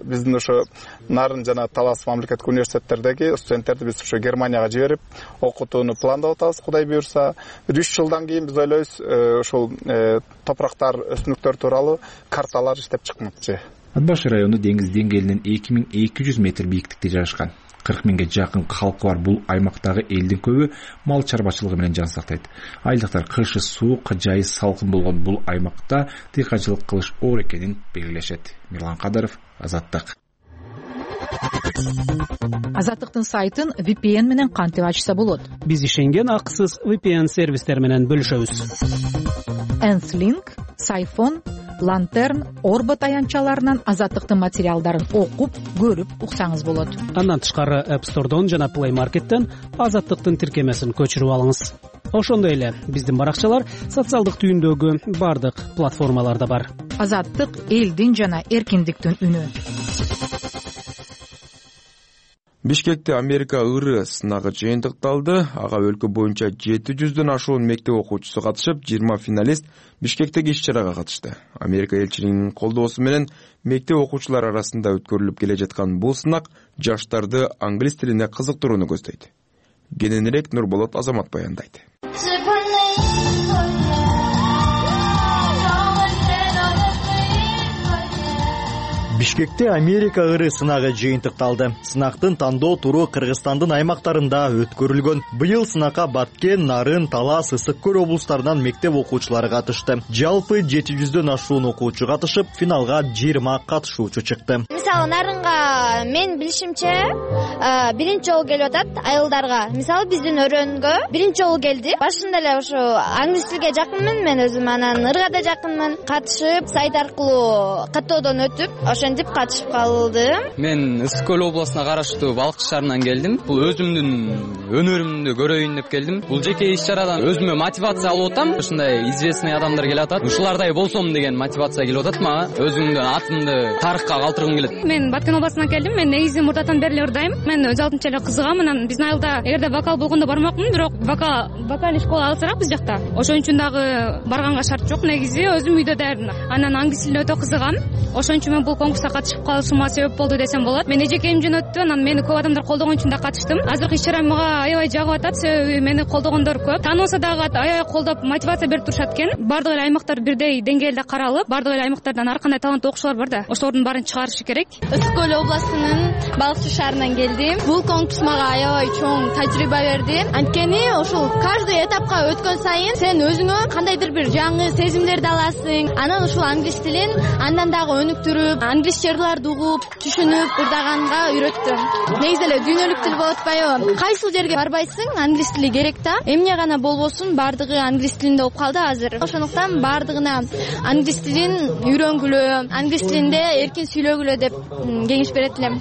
биздин ошо Нарын жана Талас мамлекеттик университеттердеги студенттерди биз ошо Германияга жиберип, окутууну пландап атабыз, Кудай буйрса. үч жылдан кийин биз ойлойбуз, ошол топурактар, өсүмдүктөр тууралуу карталар иштеп чыкмакчы. Ат башы району деңиз деңгээлинен эки миң эки жүз метр бийиктикте жайгашкан. кырк миңге жакын калкы бар бул аймактагы элдин көбү мал чарбачылыгы менен жан сактайт. Айылдыктар кышы суук, жайы салкын болгон бул аймакта дыйканчылык кылыш оор экенин белгилешет. Мирлан Кадыров, Азаттык. Азаттыктын сайтын ви пи эн менен кантип ачса болот? Биз ишенген акысыз ви пи эн сервистер менен бөлүшөбүз. Энслинг, Сайфон, Лантерн, Орбо таянчаларынан Азаттыктын материалдарын окуп, көрүп уксаңыз болот. Андан тышкары App Store'дон жана Play Market'тен Азаттыктын тиркемесин көчүрүп алыңыз. Ошондой эле биздин баракчалар социалдык түйүндөгү бардык платформаларда бар. Азаттык элдин жана эркиндиктин үнү. Бишкекте Америка ыры сынагы жыйынтыкталды. Ага өлкө боюнча жети жүздөн ашуун мектеп окуучусу катышып, жыйырма финалист Бишкектеги иш-чарага катышты. Америка элчилигинин колдоосу менен мектеп окуучулар арасында өткөрүлүп келе жаткан бул сынак жаштарды англис тилине кызыктырууну көздөйт. Кененирээк Нурболот Азамат баяндайт. Бишкекте Америка ыры сынагы жыйынтыкталды. Сынактын тандоо туру Кыргызстандын аймактарында өткөрүлгөн. Быйыл сынакка Баткен, Нарын, Талас, Ысык көл облустарынан мектеп окуучулары катышты. Жалпы жети жүздөн ашуун окуучу катышып, финалга жыйырма катышуучу чыкты. Мисалы Нарынга мен билишимче биринчи жолу келип атат айылдарга. Мисалы биздин өрөнгө биринчи жолу келди. Башында эле ошо англис тилге жакынмын мен өзүм, анан ырга да жакынмын. Катышып, сайт аркылуу каттоодон өтүп, ошентип катышып калдым. Мен Ысык көл областына караштуу Балыкчы шаарынан келдим. Бул өзүмдүн өнөрүмдү көрөйүн деп келдим. Бул жеке иш чарадан өзүмө мотивация алып атам. Ушундай известный адамдар келип атат. Ушулардай болсом деген мотивация келип атат мага. Өзүмдүн атымды тарыхка калтыргым келет. Мен Баткен областынан келдим. Мен негизи мурдатан бери эле ырдайм. Мен өз алдынча эле кызыгам. Анан биздин айылда эгерде вокал болгондо бармакмын, бирок вокал вокальный школа алсырак биз жакта. Ошон үчүн дагы барганга шарт жок. Негизи өзүм үйдө даярдым. Анан англис тилине өтө кызыгам. Ошон үчүн мен бул конкурска катышып калышыма себеп болду десем болот. Мен эжекемден өттү, анан мени көп адамдар колдогон үчүн да катыштым. Азыркы иш чара мага аябай жагып атат, себеби мени колдогондор көп. Тааныбаса дагы аябай колдоп мотивация берип турушат экен. Бардык эле аймактар бирдей деңгээлде каралып, бардык эле аймактардан ар кандай таланттуу окуучулар бар да, ошолордун баарын чыгарышы керек. Ысык көл областынын Балыкчы шаарынан келдим. Бул конкурс мага аябай чоң тажрыйба берди. Анткени ошол каждый этапка өткөн сайын сен өзүңө кандайдыр бир жаңы сезимдерди аласың. Анан ушул англис тилин андан дагы өнүктүрүп, англис жырларды угуп, түшүнүп, ырдаганга үйрөттүм. Негизи эле дүйнөлүк тил болуп атпайбы? Кайсыл жерге барбайсың, англис тили керек да. Эмне гана болбосун, бардыгы англис тилинде болуп калды азыр. Ошондуктан бардыгына англис тилин үйрөнгүлө, англис тилинде эркин сүйлөгүлө деп кеңеш берет элем.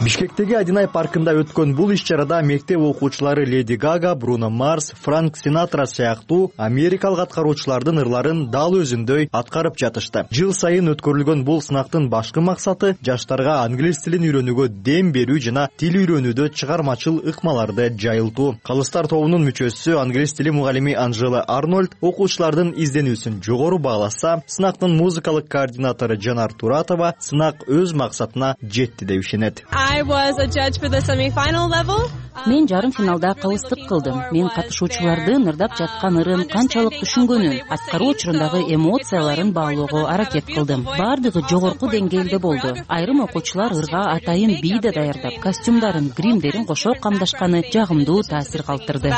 Бишкектеги Адинай паркында өткөн бул иш чарада мектеп окуучулары Леди Гага, Бруно Марс, Франк Синатра сыяктуу америкалык аткаруучулардын ырларын дал өзүндөй аткарып жатышты. Жыл сайын өткөрүлгөн бул сынактын башкы максаты жаштарга англис тилин үйрөнүүгө дем берүү жана тил үйрөнүүдө чыгармачыл ыкмаларды жайылтуу. Калыстар тобунун мүчөсү, англис тили мугалими Анжела Арнольд окуучулардын изденүүсүн жогору бааласа, сынактын музыкалык координатору Жанар Туратова сынак өз максатына жетти деп ишенет. Мен жарым финалда калыстык кылдым. Мен катышуучулардын ырдап жаткан ырын канчалык түшүнгөнүн, аткаруу учурундагы эмоцияларын баалоого аракет кылдым. Бардыгы жогорку деңгээлде болду. Айрым окуучулар ырга атайын бий да даярдап, костюмдарын, гримдерин кошо камдашканы жагымдуу таасир калтырды.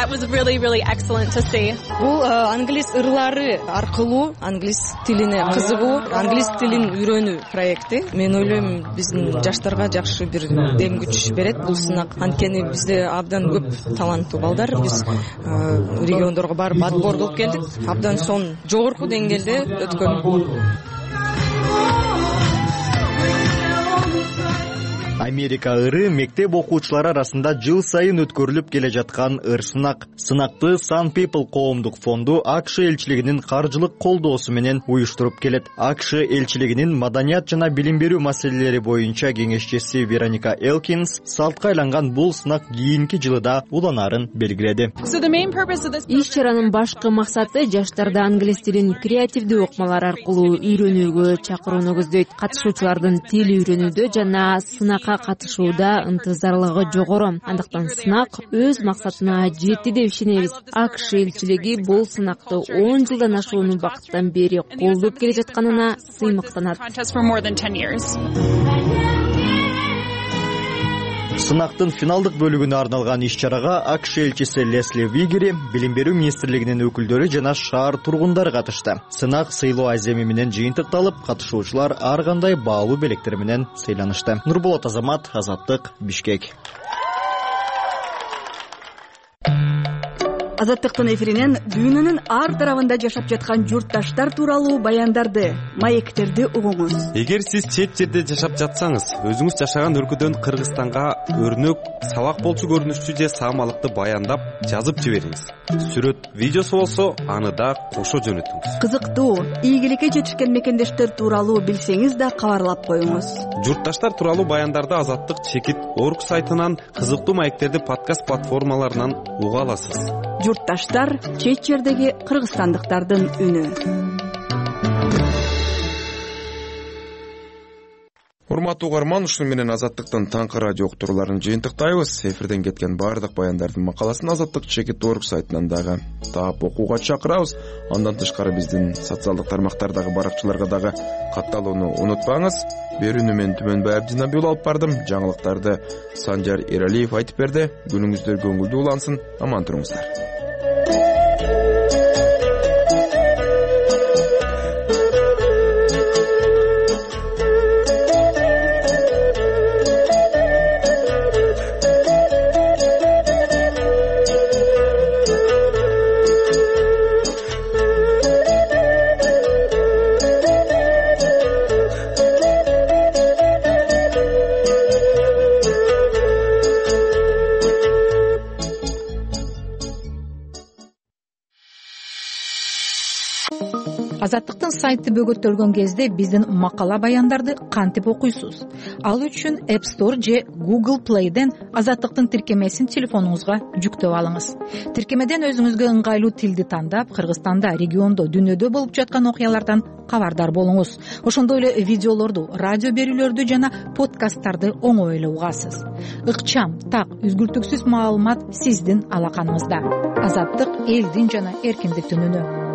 Бул англис ырлары аркылуу англис тилине кызыгуу, англис тилин үйрөнүү проекти. Мен ойлойм, биздин жаштарга жакшы бир дем күч берет бул сынак. Анткени бизде абдан көп таланттуу балдар. Биз региондорго барып отбор кылып келдик. Абдан сон жогорку деңгээлде өткөн. Америка ыры мектеп окуучулары арасында жыл сайын өткөрүлүп келе жаткан ыр сынак. Сынакты Sun People коомдук фонду АКШ элчилигинин каржылык колдоосу менен уюштуруп келет. АКШ элчилигинин маданият жана билим берүү маселелери боюнча кеңешчиси Вероника Элкинс салтка айланган бул сынак кийинки жылы да уланаарын белгиледи. Иш чаранын башкы максаты жаштарды англис тилин креативдүү ыкмалар аркылуу үйрөнүүгө чакырууну көздөйт. Катышуучулардын тил үйрөнүүдө жана сынакка катышууда ынтызарлыгы жогору. Андыктан сынак өз максатына жетти деп ишенебиз. АКШ элчилиги бул сынакты он жылдан ашуун убакыттан бери колдоп келе жатканына сыймыктанат. Сынактын финалдык бөлүгүнө арналган иш чарага АКШ элчиси Лесли Вигери, билим берүү министрлигинин өкүлдөрү жана шаар тургундары катышты. Сынак сыйлоо аземи менен жыйынтыкталып, катышуучулар ар кандай баалуу белектер менен сыйланышты. Нурболот Азамат, Азаттык, Бишкек. Азаттыктын эфиринен дүйнөнүн ар тарабында жашап жаткан журтташтар тууралуу баяндарды, маектерди угуңуз. Эгер сиз чет жерде жашап жатсаңыз, өзүңүз жашаган өлкөдөн Кыргызстанга өрнөк, сабак болчу көрүнүштүү же саамалыкты баяндап, жазып жибериңиз. Сүрөт, видеосу болсо, аны да кошо жөнөтүңүз. Кызыктуу, ийгиликке жетишкен мекендештер тууралуу билсеңиз да кабарлап коюңуз. Журтташтар тууралуу баяндарды Азаттык чекит орг сайтынан, кызыктуу маектерди подкаст платформаларынан уга аласыз. Журтташтар — чет жердеги кыргызстандыктардын үнү. урматтуу угарман, ушуну менен Азаттыктын таңкы радио уктурууларын жыйынтыктайбыз. Эфирден кеткен баардык баяндардын макаласын Азаттык чекит орг сайтынан дагы таап окууга чакырабыз. Андан тышкары биздин социалдык тармактардагы баракчаларга дагы катталууну унутпаңыз. Берүүнү мен Түмөнбай Абдинабий уулу алып бардым. Жаңылыктарды Санжар Эралиев айтып берди. Күнүңүздөр көңүлдүү улансын. Аман туруңуздар. Азаттыктын сайты бөгөттөлгөн кезде биздин макала баяндарды кантип окуйсуз? Ал үчүн App Store же Google Play'ден Азаттыктын тиркемесин телефонуңузга жүктөп алыңыз. Тиркемеден өзүңүзгө ыңгайлуу тилди тандап, Кыргызстанда, региондо, дүйнөдө болуп жаткан окуялардан кабардар болуңуз. Ошондой эле видеолорду, радио берүүлөрдү жана подкасттарды оңой эле угасыз. Ыкчам, так, үзгүлтүксүз маалымат сиздин алаканыңызда. Азаттык элдин жана эркиндиктин үнү.